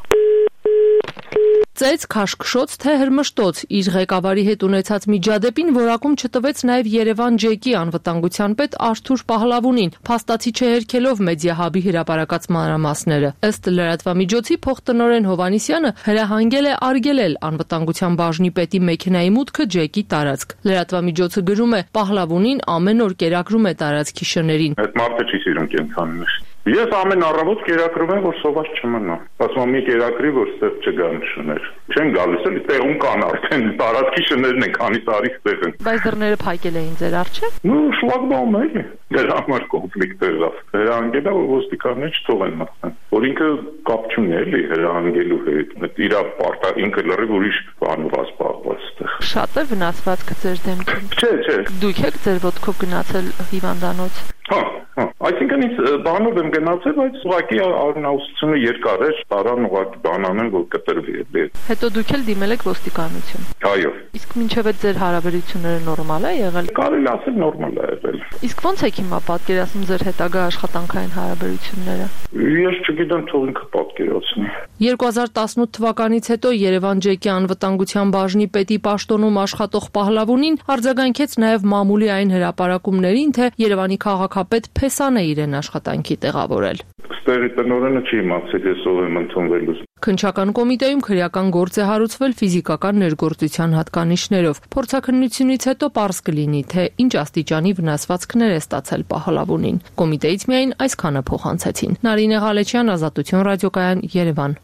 S21: Ծեծ, քաշքշոց, թե հրմշտոց իր ղեկավարի հետ ունեցած միջադեպին որակում չտվեց նաև Երևան ջեկի անվտանգության պետ Արթուր Պահլավունին, փաստացի չհերքելով մեդիահաբի հրապարակած մանրամասները։ Ըստ լրատվամիջոցի փոխտնօրեն Հովհաննիսյանը հրահանգել է արգելել անվտանգության բաժնի պետի մեքենայի մուտքը ջեկի տարածք։ Լրատվամիջոցը գրում է. Պահլավունին ամեն օր կերակրում է տարածքի շներին։
S22: Այդ մարդը չի սիրում կենցանիներ։ Ես ամեն առավոտ կերակրում եմ, որ սոված չմնա։ Ասում եմ, մի կերակրի, որ ստեղ չգան շներ։ Չեն գալիս, էլի տեղում կան արդեն տարածքի շներն են, քանի տարի ստեղ են։
S21: Բայց դռները փակել էին ձեր առջև։
S22: Ну, շլագբաում է, էլի։ Դրա համար կոնֆլիկտ եղավ։ Հրահանգել է, որ ոստիկանները չթողեն մտնեն։ Որ ինքը կապ չունի, էլի, հրահանգելու հետ։ Իր պարտա ինքը լրիվ ուրիշ բանով ասպահված ստեղ։
S21: Շատ է վնասվածքը ձեր դեմքին։
S22: Չէ, չէ։
S21: Դուք եք ձեր ոտքով գնացել հիվանդանոց։
S22: Հա, հա, այսինքն ինձ բանով եմ գնացել, բայց ուղղակի արնաուսությունը երկար էր, տարան ուղղակի բանանեն, որ կտրվի էլի։
S21: Հետո դուք էլ դիմել եք ոստիկանություն։
S22: Այո։
S21: Իսկ մինչև այդ ձեր հարաբերությունները նորմալ է եղել։
S22: Կարելի ասել նորմալ է եղել։
S21: Իսկ ո՞նց եք հիմա պատկերացնում ձեր հետագա աշխատանքային հարաբերությունները։
S22: Ես չգիտեմ, թող ինքը պատկերացնի։
S21: երկու հազար տասնութ թվականից հետո Երևան ջեկի անվտանգության բաժնի պետի պաշտոնում աշխատող Պահլավունին արձագանքեց նաև մամուլի այն հրապարակումներին, թե Երևանի քաղաքապետ Փեսան է իրեն աշխատանքի տեղավորել։
S22: Ստերի տնօրենը չի իմացել, ես ով եմ ընդունվելու։
S21: Քննչական կոմիտեում քրեական գործ է հարուցվել ֆիզիկական ներգործության հատկանիշներով։ Փորձաքննությունից հետո պարզ կլինի, թե ինչ աստիճանի վնասվածքներ է ստացել Պահլավունին։ Կոմիտեից միայն այսքանը փոխանցեցին։ Նարինե Ղալեչյան, Ազատություն ռադիոկայան, Երևան։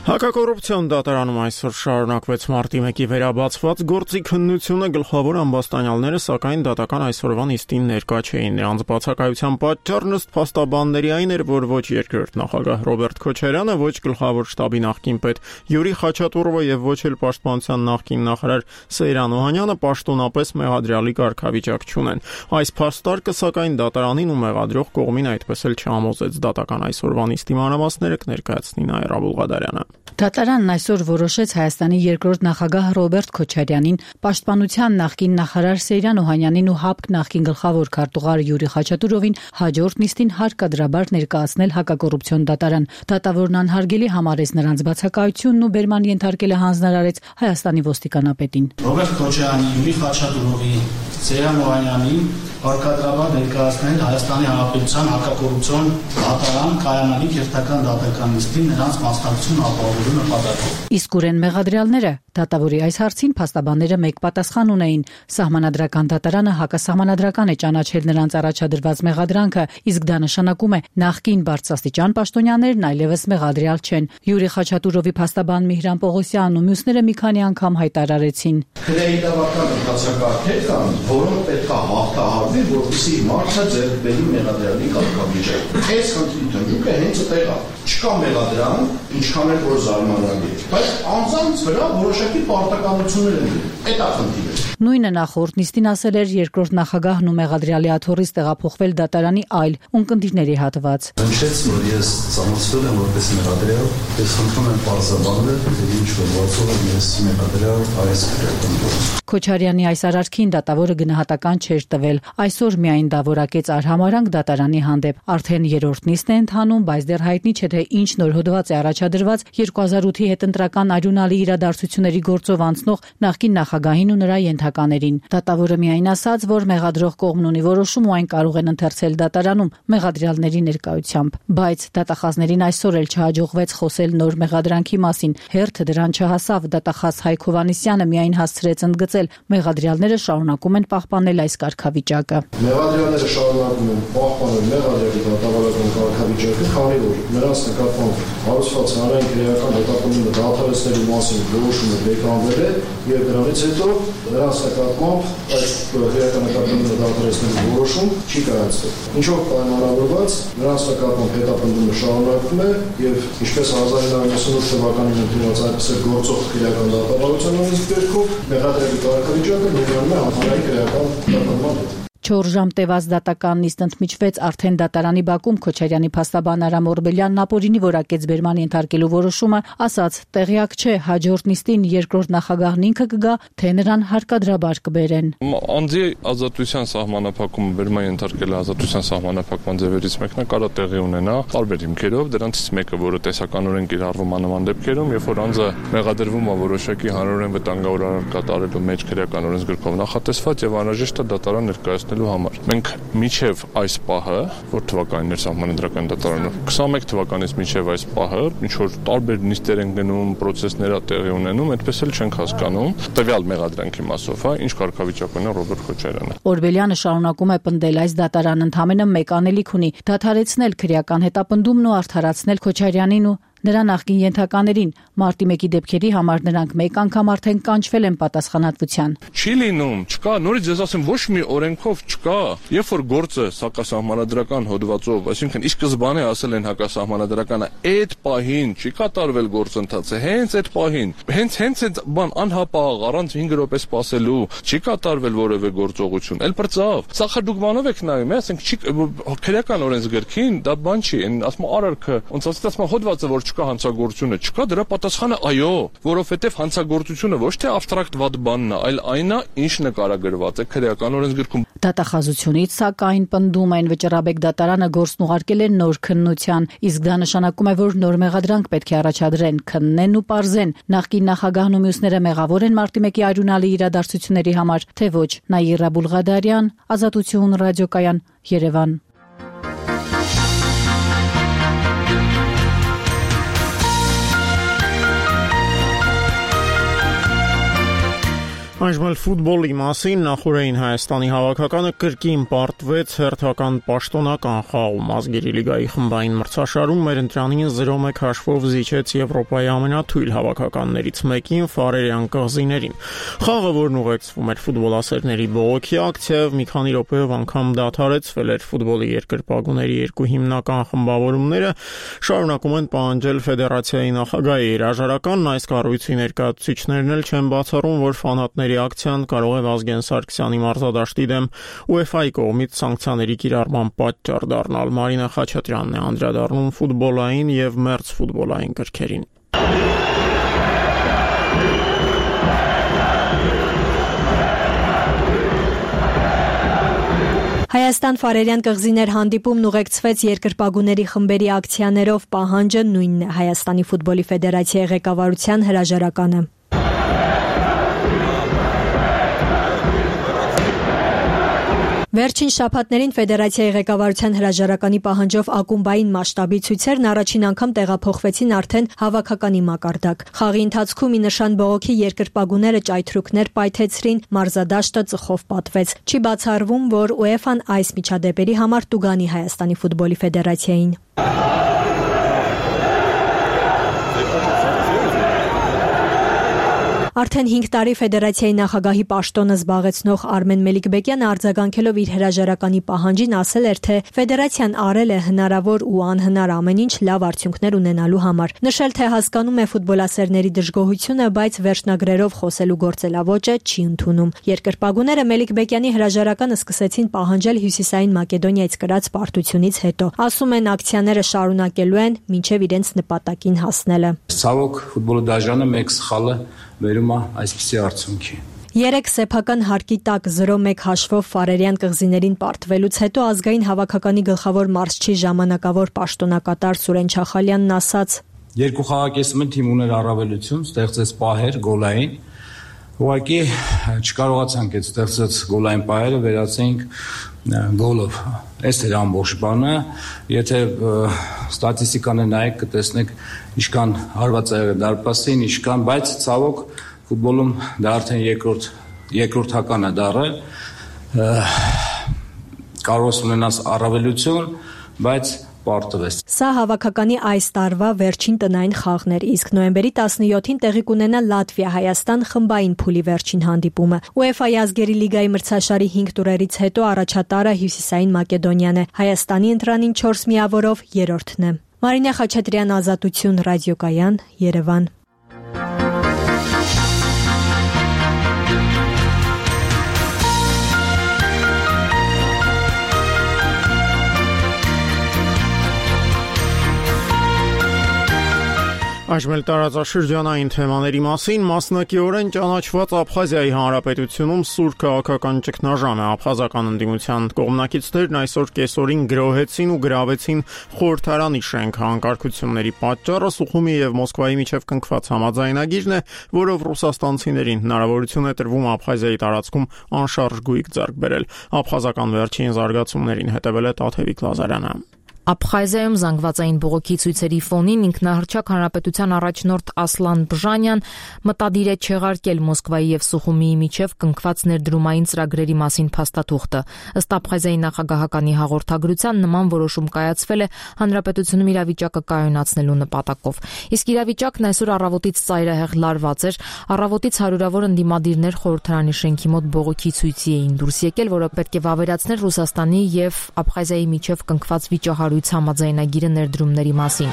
S1: Հակակոռուպցիոն դատարանում այսօր շարունակվեց մարտի մեկի վերաբացված գործի քննությունը, գլխավոր ամբաստանյալները սակայն դատական այսօրվա նիստին ներկա չէին։ Նրանց բացակայության պատճառն ըստ փաստաբանների այն էր, որ ոչ երկրորդ նախագահ Ռոբերտ Քոչարյանը, ոչ գլխավոր շտաբի նախկին պետ Յուրի Խաչատուրովը եւ ոչ էլ պաշտպանության նախկին նախարար Սեյրան Օհանյանը պաշտոնապես մեղադրյալի կարգավիճակ չունեն։ Այս փաստարկը սակայն դատարանին ու մեղադրող կողմին այդպես էլ չհամոզեց։ Դատական այսօրվա նիստի մանրամասները կներկայացնի Նաիրա Բուլղադարյանը։
S2: Դատարանն այսօր որոշեց Հայաստանի երկրորդ նախագահ Ռոբերտ Քոչարյանին, Պաշտպանության նախկին նախարար Սեյրան Օհանյանին ու ՀԱՊԿ նախկին գլխավոր քարտուղար Յուրի Խաչատուրովին հաջորդ նիստին հարկադրաբար ներկայացնել հակակոռուպցիոն դատարան։ Դատավորն անհարգելի համարեց նրանց բացակայությունն ու բերման ենթարկել է հանձնարարեց Հայաստանի ոստիկանապետին։
S10: Ռոբերտ Քոչարյանի, Յուրի Խաչատուրովի, Սեյրան Օհանյանին հարկադրաբար ներկայացնել Հայաստանի Հանրապետության հակակոռուպցիոն դատարան կայանալի քերթական դատական նիստին նրանց մասնակցությունը ապահովելու նպատակով։
S2: Իսկ ուրեն մեղադրյալները դատավորի այս հարցին փաստաբանները մեկ պատասխան ունեին։ Սահմանադրական դատարանը հակասահմանադրական է ճանաչել նրանց առաջադրված մեղադրանքը, իսկ դա նշանակում է նախկին բարձրաստիճան պաշտոնյաներն այլևս մեղադրյալ չեն։ Յուրի Խաչատուրովի փաստաբան Միհրան Պողոսյանն ու մյուսները մի քանի անգամ հայտարարեցին.
S5: Քրեիտավական ընթացակարգեր կան, որոնք պետք է հաղթահարվի, որպեսզի մարդը ձեռք բերի մեղադրյալի կարգավիճակ։ Այս խնդրի դժուկը հենց այդտեղ է։ Չկա մեղադրան, ինչքան էլ որ զարմանալի է, բայց անձանց վրա որոշակի պարտականություններ են։ Այդ է խնդիրը։
S2: Նույնը նախորդ նիստին ասել էր երկրորդ նախագահն ու մեղադրյալի աթոռից տեղափոխվել դատարանի այլ ունկնդիրների հատված։
S5: Հնչեց, որ ես ծանոթացվել եմ որպես մեղադրյալ, ես խնդրում եմ պարզաբանել, թե ինչ վերածով եմ ես մեղադրյալ այս քրեական։
S2: Քոչարյանի այս արարքին դատավորը գնահատական չէր տվել։ Այսօր միայն դա որակեց արհամարանք դատարանի հանդեպ։ Արդեն երրորդ նիստն է ընթանում, բայց դեռ հայտնի չէ, թե ինչ նոր հոդված է առաջադրված երկու հազար ութի հետընտրական արյունալի իրադարձությունների գործով անցնող նախկին նախագահին ու նրա ենթականերին։ Դատավորը միայն ասաց, որ մեղադրող կողմն ունի որոշում ու այն կարող են ընթերցել դատարանում մեղադրյալների ներկայությամբ։ Բայց դատախազներին այսօր էլ չհաջողվեց խոսել նոր մեղադրանքի մասին։ Հերթը դրան չհասավ։ Դատախազ Հայկ Հովհաննիսյանը միայն հասցրեց ընդգծել, մեղադրյալները շարունակում են պահպանել այս կարգավիճակը։
S5: Մեղադրյալները շարունակում են պահպանել մեղադրյալի դատավարական կարգավիճակը, քանի որ նրանց նկատմամբ հարուցված հանրային քրեական հետապնդումը դադարեցնելու մասին որոշումը բեկանվել է եւ դրանից հետո նրանց նկատմամբ այս քրեական հետապնդումը դադարեցնելու որոշում չի կայացել։ Ինչով պայմանավորված նրանց նկատմամբ հետապնդումը շարունակվում է եւ ինչպես հազար իննսուն ութ թվականին ընդունված այնպես էլ գործող քրեական դատավարության օրենսգրքում մեղադրյալի կարգավիճակը ներառում է հանրային քրեական հետապնդման հետ։
S2: Չորս ժամ տևած դատական նիստ ընդմիջվեց արդեն դատարանի բակում Քոչարյանի փաստաբան Արամ Օրբելյանն ապօրինի որակեց բերման ենթարկելու որոշումը, ասաց տեղյակ չէ հաջորդ նիստին երկրորդ նախագահն ինքը կգա, թե նրան հարկադրաբար կբերեն։
S23: Անձի ազատության սահմանափակումը բերման ենթարկել ազատության սահմանափակման ձևերից մեկն է կարա տեղի ունենա տարբեր հիմքերով, դրանցից մեկը, որը տեսականորեն կիրառվում է նման դեպքերում, երբ որ անձը մեղադրվում է որոշակի հանրորեն վտանգավոր արարք կատարելու մեջ քրեական օրենսգրքով նախատեսված եւ անհրաժեշտ է դատարան ներկայացնել համար։ Մենք միջև այս պահը, որ թվականներ սահմանադրական դատարանը քսաներկու թվականից միջև այս պահը, ինչ որ տարբեր նիստեր են գնում, process-ներ տեղի ունենում, այդպես էլ չենք հասկանում տվյալ մեղադրանքի մասով, հա, ինչ կարգավիճակ ունի Ռոբերտ Քոչարյանը։
S2: Օրբելյանը շարունակում է պնդել այս դատարանը ընդամենը մեկ անելիք ունի՝ դադարեցնել քրեական հետապնդումն ու արդարացնել Քոչարյանին ու նրա նախկին ենթականերին։ Մարտի մեկի դեպքերի համար նրանք մեկ անգամ արդեն կանչվել են պատասխանատվության։
S23: Չի լինում, չկա, նորից ես ասեմ, ոչ մի օրենքով չկա։ Երբ որ գործը հակասահմանադրական հոդվածով, այսինքն ի սկզբանե ասել են հակասահմանադրականը, այդ պահին չի կատարվել գործընթացը, հենց այդ պահին, հենց հենց այդ բան անհապաղ առանց հինգ րոպե սպասելու չի կատարվել որևէ գործողություն։ Էլ բրծավ։ Սա դուք բանով եք նայում, ասենք չի քրեական օրենսգրքին դա բան չի, ասում արարքը, ոնց ասած հոդվածը որ չկա հանցագործությունը, չկա դրա պատասխանը այո, որովհետև հանցագործությունը ոչ թե աբստրակտ վատ բանն է, այլ այն է, ինչ նկարագրված է քրեական օրենսգրքում։
S2: Դատախազությունից սակայն պնդում են վճռաբեկ դատարանը գործն ուղարկել է նոր քննության, իսկ դա նշանակում է, որ նոր մեղադրանք պետք է առաջադրեն, քննեն ու պարզեն։ Նախկին նախագահն ու մյուսները մեղավոր են մարտի մեկի արյունալի իրադարձությունների համար, թե ոչ։ Նաիրա Բուլղադարյան, Ազատություն ռադիոկայան, Երևան։
S1: Այժմ ֆուտբոլի մասին նախորդային Հայաստանի հավաքականը կրկին պարտվեց հերթական պաշտոնական խաղում ազգերի լիգայի խմբային մրցաշարում մեր ընտրանին զրո մեկ հաշվով զիջեց Եվրոպայի ամենաթույլ հավաքականներից մեկին Ֆարերյան կղզիներին։ Խաղը, որն ուղեկցվում էր ֆուտբոլասերների բողոքի ակցիայով, մի քանի րոպեով անգամ դադարեցվել էր ֆուտբոլի երկրպագուների երկու հիմնական խմբավորումները շարունակում են պահանջել ֆեդերացիայի նախագահի հրաժարականն, այս կառույցի ներկայացուցիչներն էլ չեն բացառում, որ ֆանատների ակցիան կարող է Վազգեն Սարգսյանի մարզադաշտի դեմ ՈՒԵՖԱ-ի կողմից սանկցիաների կիրառման պատճառ դառնալ։ Մարինա Խաչատրյանն է անդրադառնում ֆուտբոլային եւ մերձ ֆուտբոլային կրքերին։
S3: Հայաստան-Ֆարերյան կղզիներ հանդիպումն ուղեկցվեց երկրպագուների խմբերի ակցիաներով, պահանջը նույնն է՝ Հայաստանի ֆուտբոլի ֆեդերացիայի ղեկավարության հրաժարականը։ Վերջին շաբաթներին ֆեդերացիայի ղեկավարության հրաժարականի պահանջով ակումբային մասշտաբի ցույցերն առաջին անգամ տեղափոխվեցին արդեն հավաքականի մակարդակ։ Խաղի ընթացքում ի նշան բողոքի երկրպագուները ճայթրուկներ պայթեցրին, մարզադաշտը ծխով պատվեց։ Չի բացառվում, որ ՈՒԵՖԱ-ն այս միջադեպերի համար տուգանի Հայաստանի ֆուտբոլի ֆեդերացիային։ Արդեն հինգ տարի ֆեդերացիայի նախագահի պաշտոնը զբաղեցնող Արմեն Մելիքբեկյանը արձագանքելով իր հրաժարականի պահանջին ասել էր, թե ֆեդերացիան արել է հնարավոր ու անհնար ամեն ինչ լավ արդյունքներ ունենալու համար։ Նշել, թե հասկանում է ֆուտբոլասերների դժգոհությունը, բայց վերջնագրերով խոսելու գործելավոճը չի ընդունում։ Երկրպագուները Մելիքբեկյանի հրաժարականը սկսեցին պահանջել Հյուսիսային Մակեդոնիայից կրած պարտությունից հետո։ Ասում են, ակցիաները շարունակելու են մինչև իրենց նպատակին հասնելը։
S6: Ցավոք ֆուտբոլի դաշնանը մեկ սխալը վերում է այսպիսի արդյունքի։
S3: Երեք սեփական հարկի տակ զրո մեկ հաշվով Ֆարերյան կղզիներին պարտվելուց հետո ազգային հավաքականի գլխավոր մարզչի ժամանակավոր պաշտոնակատար Սուրեն Չախալյանն ասաց.
S6: Երկու խաղակեսում թիմ ուներ առավելություն, ստեղծեց պահեր գոլային։ Ուղղակի չկարողացանք այդ ստեղծած գոլային պահերը վերացենք գոլով։ Այս էր ամբողջ բանը, եթե ստատիստիկանը նայեք, կտեսնեք ինչքան հարված է եղել դարպասին, ինչքան, բայց ցավոք ֆուտբոլում դա արդեն երկրորդ երկրորդական է դառը, կարող ես ունենաս առավելություն, բայց պարտվես։
S3: Սա հավաքականի այս տարվա վերջին տնային խաղն էր, իսկ նոյեմբերի տասնյոթին տեղի կունենա Լատվիա-Հայաստան խմբային փուլի վերջին հանդիպումը։ ՈՒԵՖԱ-ի ազգերի լիգայի մրցաշարի հինգ տուրերից հետո առաջատարը Հյուսիսային Մակեդոնիան է, Հայաստանի ընտրանին չորս միավորով երրորդն է։ Մարինե Խաչատրյան, Ազատություն, Ռադիոկայան, Երևան։
S1: Այժմ էլ տարածաշրջանային թեմաների մասին մասնակիորեն ճանաչված Աբխազիայի Հանրապետությունում սուր քաղաքական ճգնաժամ է։ Աբխազական ընդդիմության կողմնակիցներն այսօր կեսօրին գրոհեցին ու գրավեցին խորհրդարանի շենքը։ Անկարգությունների պատճառը Սուխումի եւ Մոսկվայի միջև կնքված համաձայնագիրն է, որով ռուսաստանցիներին հնարավորություն է տրվում Աբխազիայի տարածքում անշարժ գույք ձեռք բերել։ Աբխազական վերջին զարգացումներին հետևել է Տաթևիկ Լազարյանը։
S7: Աբխազիայում զանգվածային բողոքի ցույցերի ֆոնին ինքնահռչակ հանրապետության առաջնորդ Ասլան Բժանյան մտադիր է չեղարկել Մոսկվայի եւ Սուխումիի միջև կնքված ներդրումային ծրագրերի մասին փաստաթուղթը։ Ըստ Աբխազիայի նախագահականի հաղորդագրության նման որոշում կայացվել է հանրապետությունում իրավիճակը կայունացնելու նպատակով։ Իսկ իրավիճակն այսօր առավոտից ծայրահեղ լարված էր։ Առավոտից հարյուրավոր ընդդիմադիրներ խորհրդարանի շենքի մոտ բողոքի ցույցի էին դուրս եկել, որը պետք է վավերացներ Ռուսաստանի եւ Աբխազիայի միջև կնքված վիճահարույց համաձայնագիրը ներդրումների մասին։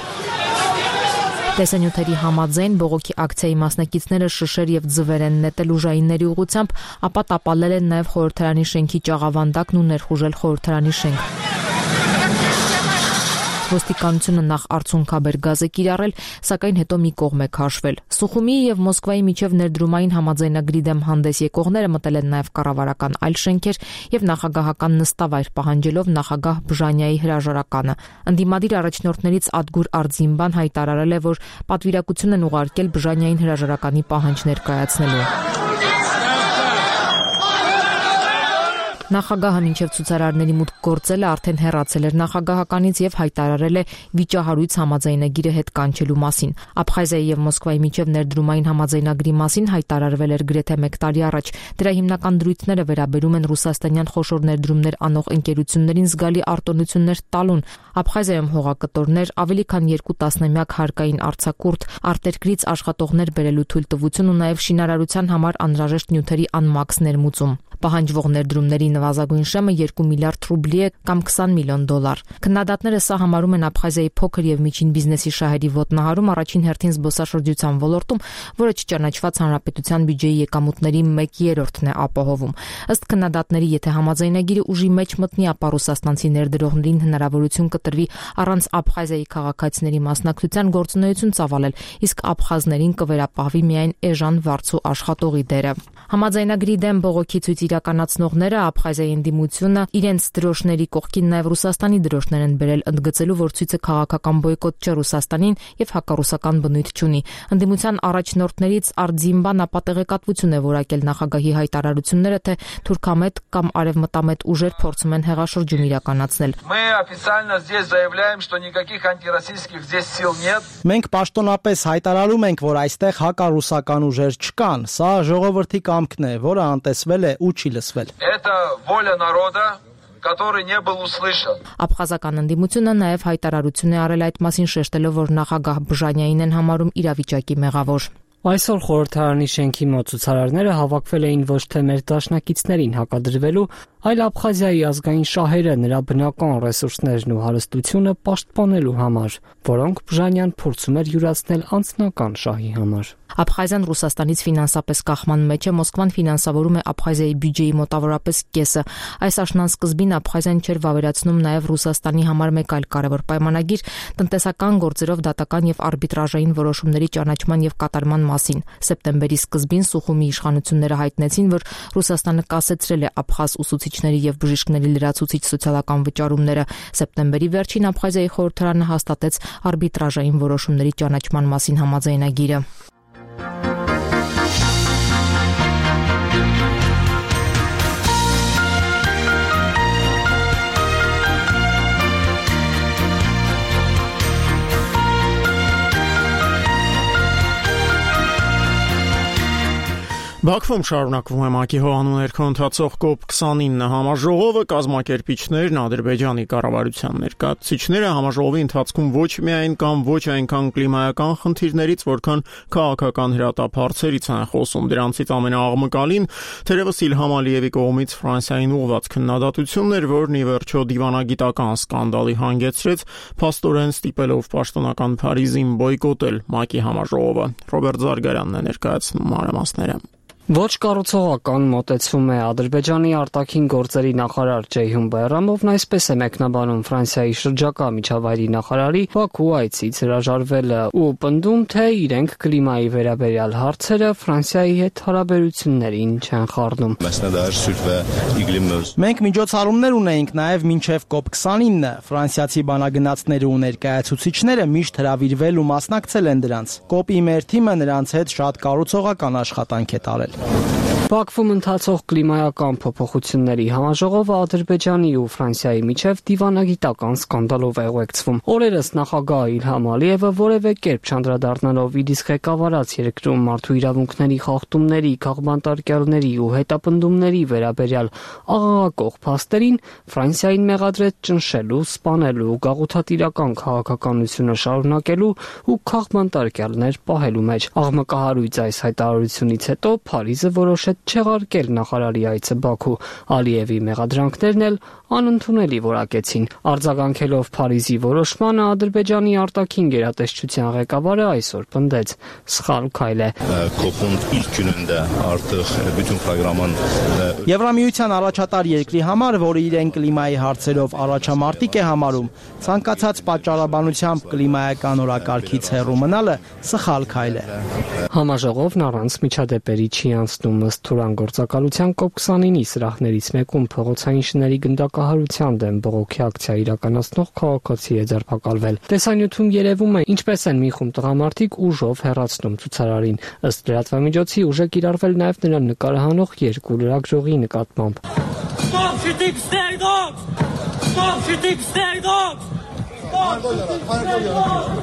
S7: Տեսանյութերի համաձայն բողոքի ակցիայի մասնակիցները շշեր եւ ձվեր են նետել ուժայինների ուղղությամբ, ապա տապալել են նաեւ խորհրդարանի շենքի ճաղավանդակն ու ներխուժել խորհրդարանի շենք։ Ոստիկանությունը նախ արցունքաբեր գազ է կիրառել, սակայն հետո մի կողմ է քաշվել։ Սուխումիի եւ Մոսկվայի միջև ներդրումային համաձայնագրի դեմ հանդես եկողները մտել են նաեւ կառավարական այլ շենքեր եւ նախագահական նստավայր պահանջելով նախագահ Բժանյայի հրաժարականը։ Ընդդիմադիր առաջնորդներից Ադգուր Արձինբան հայտարարել է, որ պատվիրակություն են ուղարկել Բժանյային հրաժարականի պահանջ ներկայացնելու։ Նախագահը մինչև ցուցարարների մուտք գործելը արդեն հեռացել էր նախագահականից եւ հայտարարել է վիճահարույց համաձայնագիրը հետ կանչելու մասին։ Աբխազիայի եւ Մոսկվայի միջև ներդրումային համաձայնագրի մասին հայտարարվել էր գրեթե մեկ տարի առաջ։ Դրա հիմնական դրույթները վերաբերում են ռուսաստանյան խոշոր ներդրումներ անող ընկերություններին զգալի արտոնություններ տալուն։ Աբխազիայում հողակտորներ, ավելի քան երկու տասնամյակ հարկային արձակուրդ, արտերկրից աշխատողներ բերելու թույլտվություն ու նաեւ շինարարության համար անհրաժեշտ նյութերի անմաքս ներմուծում։ Պահանջվող ներդրումների նվազագույն շեմը երկու միլիարդ ռուբլի է կամ քսան միլիոն դոլար։ Քննադատները սա համարում են Աբխազիայի փոքր եւ միջին բիզնեսի շահերի ոտնահարում առաջին հերթին զբոսաշրջության ոլորտում, որը չճանաչված հանրապետության բյուջեի եկամուտների մեկ երրորդն է ապահովում։ Ըստ քննադատների, եթե համաձայնագիրը ուժի մեջ մտնի, ապա ռուսաստանցի ներդրողներին հնարավորություն կտրվի առանց Աբխազիայի քաղաքացիների մասնակցության գործունեություն ծավալել, իսկ աբխազներին կվերապահվի միայն էժան վարձու աշխատողի դերը։ Համաձայնագրի դեմ բողոքի ցույցի իրականացնողները Աբխազիայի ընդդիմությունը իրենց դրոշների կողքին նաև Ռուսաստանի դրոշներ են բերել, ընդգծելու, որ ցույցը քաղաքական բոյկոտ չէ Ռուսաստանին եւ հակառուսական բնույթ չունի։ Ընդդիմության առաջնորդներից Արտզիմբան ապատեղեկատվություն է որակել նախագահի հայտարարությունները, թե թուրքամետ կամ արևմտամետ ուժեր փորձում են հեղաշրջում իրականացնել։
S9: Մենք պաշտոնապես հայտարարում ենք, որ այստեղ հակառուսական ուժեր չկան։ Սա ժողովրդի կամքն է, որը անտեսվել է ու չի լսվել։
S12: который не был услышан.
S7: Աբխազական ընդդիմությունը նաև հայտարարություն է արել այդ մասին, շեշտելով, որ նախագահ Բժանյանին են համարում իրավիճակի մեղավոր։
S14: Այսօր խորհրդարանի շենքի մոտ ցուցարարները հավաքվել էին ոչ թե մեր դաշնակիցներին հակադրվելու, այլ Աբխազիայի ազգային շահերը, նրա բնական ռեսուրսներն ու հարստությունը պաշտպանելու համար, որոնք Բժանյան փորձում էր յուրացնել անձնական շահի համար։
S7: Աբխազիան Ռուսաստանից ֆինանսապես կախման մեջ է, Մոսկվան ֆինանսավորում է Աբխազիայի բյուջեի մոտավորապես կեսը։ Այս աշնան սկզբին Աբխազիան չէր վավերացնում նաև Ռուսաստանի համար մեկ այլ կարևոր պայմանագիր՝ տնտեսական գործերով դատական եւ արբիտրաժային որոշումների ճանաչման եւ կատարման մասին։ Սեպտեմբերի սկզբին Սուխումի իշխանությունները հայտնեցին, որ Ռուսաստանը կասեցրել է աբխազ ուսուցիչների եւ բժիշկների լրացուցիչ սոցիալական վճարումները։ Սեպտեմբերի վերջին Աբխազիայի խորհրդարանը հաստատեց արբիտրաժային որոշումների ճանաչման մասին համաձայնագիրը։
S1: Բաքվում շարունակվում է ՄԱԿ-ի հողանու ներքո ընթացող կոպ քսանինը համաժողովը, կազմակերպիչներն, Ադրբեջանի կառավարության ներկայացուցիչները համաժողովի ընթացքում ոչ միայն կամ ոչ այնքան կլիմայական խնդիրներից, որքան քաղաքական հրատապարցերից են խոսում։ Դրանցից ամենաաղմկալին թերևս Իլհամ Ալիևի կողմից Ֆրանսիային ուղղված քննադատությունն էր, որն ի վերջո դիվանագիտական սկանդալի հանգեցրեց, փաստորեն ստիպելով պաշտոնական Փարիզին բոյկոտել ՄԱԿ-ի համաժողովը։ Ռոբերտ Զարգարյանն է ներկայացնում մանրամասները։
S14: Ոչ կառուցողական մոտեցվում է Ադրբեջանի արտաքին գործերի նախարար Ջեյհուն Բայրամովն այսպես է մեկնաբանում Ֆրանսիայի շրջակա միջավայրի նախարարի Բաքու այցից հրաժարվելը ու պնդում, թե իրենք կլիմայի վերաբերյալ հարցերը Ֆրանսիայի հետ հարաբերություններին չեն խառնում։
S9: Մենք միջոցառումներ ունեինք նաև մինչև կոպ քսանինը։ Ֆրանսիացի բանագնացները ու ներկայացուցիչները միշտ հրավիրվել ու մասնակցել են դրանց։ Կոպի մեր թիմը նրանց հետ շատ կառուցողական աշխատանք է տարել։
S14: Բաքվում ընթացող կլիմայական փոփոխությունների համաժողովը Ադրբեջանի ու Ֆրանսիայի միջև դիվանագիտական սկանդալով է ուղեկցվում։ Օրերս նախագահ Իլհամ Ալիևը որևէ կերպ չանդրադառնալով իր իսկ ղեկավարած երկրում մարդու իրավունքների խախտումների, քաղբանտարկյալների ու հետապնդումների վերաբերյալ աղաղակող փաստերին Ֆրանսիային մեղադրեց ճնշելու, սպանելու, գաղութատիրական քաղաքականությունը շարունակելու ու քաղբանտարկյալներ պահելու մեջ։ Աղմկահարույց այս հայտարարությունից հետո Փարիզը որոշեց չեղարկել նախարարի այցը Բաքու։ Ալիևի մեղադրանքներն էլ անընդունելի որակեցին։ Արձագանքելով Փարիզի որոշմանը Ադրբեջանի արտաքին գերատեսչության ղեկավարը այսօր պնդեց՝ սխալ քայլ է։
S9: Եվրամիության առաջատար երկրի համար, որը իրեն կլիմայի հարցերով առաջամարտիկ է համարում, ցանկացած պատճառաբանությամբ կլիմայական օրակարգից հեռու մնալը սխալ քայլ է։
S14: Համաժողովն առանց միջադեպերի չի անցնում ըստ Թուրան գործակալության կոպ քսանինի սրահներից մեկում փողոցային շների գնդակահարության դեմ բողոքի ակցիա իրականացնող քաղաքացի է ձերբակալվել։ Տեսանյութում երևում է, ինչպես են մի խումբ տղամարդիկ ուժով հեռացնում ցուցարարին։ Ըստ լրատվամիջոցի ուժ է կիրառվել նաև նրան նկարահանող երկու լրագրողի նկատմամբ։
S24: Stop shooting stray dogs! Stop shooting stray dogs! Stop shooting stray dogs!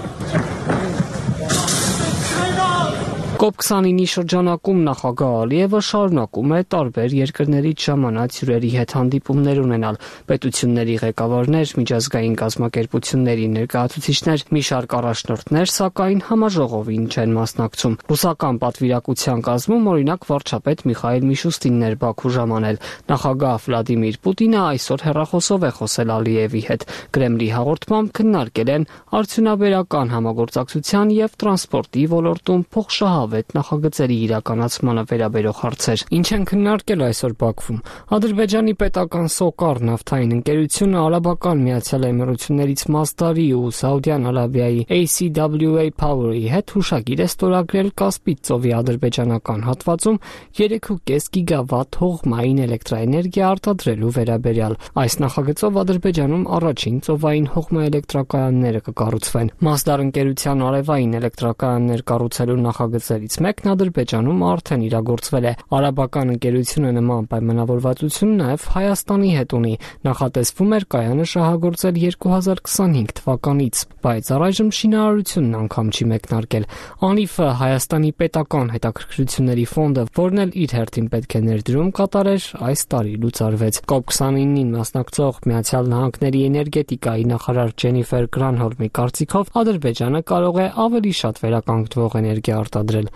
S24: Stray dogs!
S14: կոպ քսանինի շրջանակում նախագահ Ալիևը շարունակում է տարբեր երկրներից ժամանած հյուրերի հետ հանդիպումներ ունենալ։ Պետությունների ղեկավարներ, միջազգային կազմակերպությունների ներկայացուցիչներ, մի շարք առաջնորդներ, սակայն համաժողովին չեն մասնակցում։ Ռուսական պատվիրակության կազմում օրինակ վարչապետ Միխայել Միշուստինն էր Բաքու ժամանել։ Նախագահ Վլադիմիր Պուտինը այսօր հեռախոսով է խոսել Ալիևի հետ։ Կրեմլի հաղորդմամբ քննարկել են արդյունաբերական համագործակցության եւ տրանսպորտի ոլորտում փոխշահավ անհավետ նախագծերի իրականացմանը վերաբերող հարցեր։ Ինչ են քննարկել այսօր Բաքվում։ Ադրբեջանի պետական Սոկար նավթային ընկերությունը արաբական Միացյալ Էմիրություններից Մասդարի ու Սաուդյան Արաբիայի A C W A Power-ի հետ հուշագիր է ստորագրել Կասպից ծովի ադրբեջանական հատվածում երեք ու կես գիգավատ հողմային էլեկտրաէներգիա արտադրելու վերաբերյալ։ Այս նախագծով Ադրբեջանում առաջին ծովային հողմաէլեկտրակայանները կկառուցվեն։ Մասդար ընկերության արևային էլեկտրակայաններ կառուցելու նախագծերից մեկն Ադրբեջանում արդեն իրագործվել է։ Արաբական ընկերությունը նման պայմանավորվածություն նաև Հայաստանի հետ ունի։ Նախատեսվում էր կայանը շահագործել երկու հազար քսանհինգ թվականից, բայց առայժմ շինարարությունն անգամ չի մեկնարկել։ Անիֆը Հայաստանի պետական հետաքրքրությունների ֆոնդը, որն էլ իր հերթին պետք է ներդրում կատարեր, այս տարի լուծարվեց։ կոպ քսանինին մասնակցող Միացյալ Նահանգների էներգետիկայի նախարար Ջենիֆեր Գրանհոլմի կարծիքով Ադրբեջանը կարող է ավելի շատ վերականգնվող էներգիա արտադրել։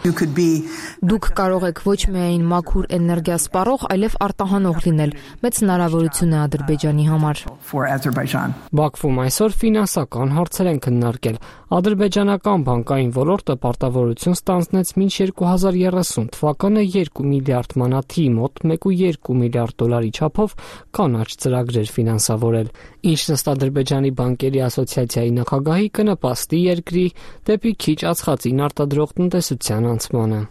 S7: Դուք կարող եք ոչ միայն մաքուր էներգիա սպառող, այլև արտահանող լինել։ Մեծ հնարավորություն է Ադրբեջանի համար։
S14: Բաքվում այսօր ֆինանսական հարցեր են քննարկել։ Ադրբեջանական բանկային ոլորտը պարտավորություն ստանձնեց մինչ երկու հազար երեսուն թվականը երկու միլիարդ մանաթի մոտ մեկ ու երկու միլիարդ դոլարի չափով կանաչ ծրագրեր ֆինանսավորել, ինչն ըստ Ադրբեջանի բանկերի ասոցիացիայի նախագահի կնպաստի երկրի դեպի քիչ ածխածին արտադրող տնտեսության անցմանը։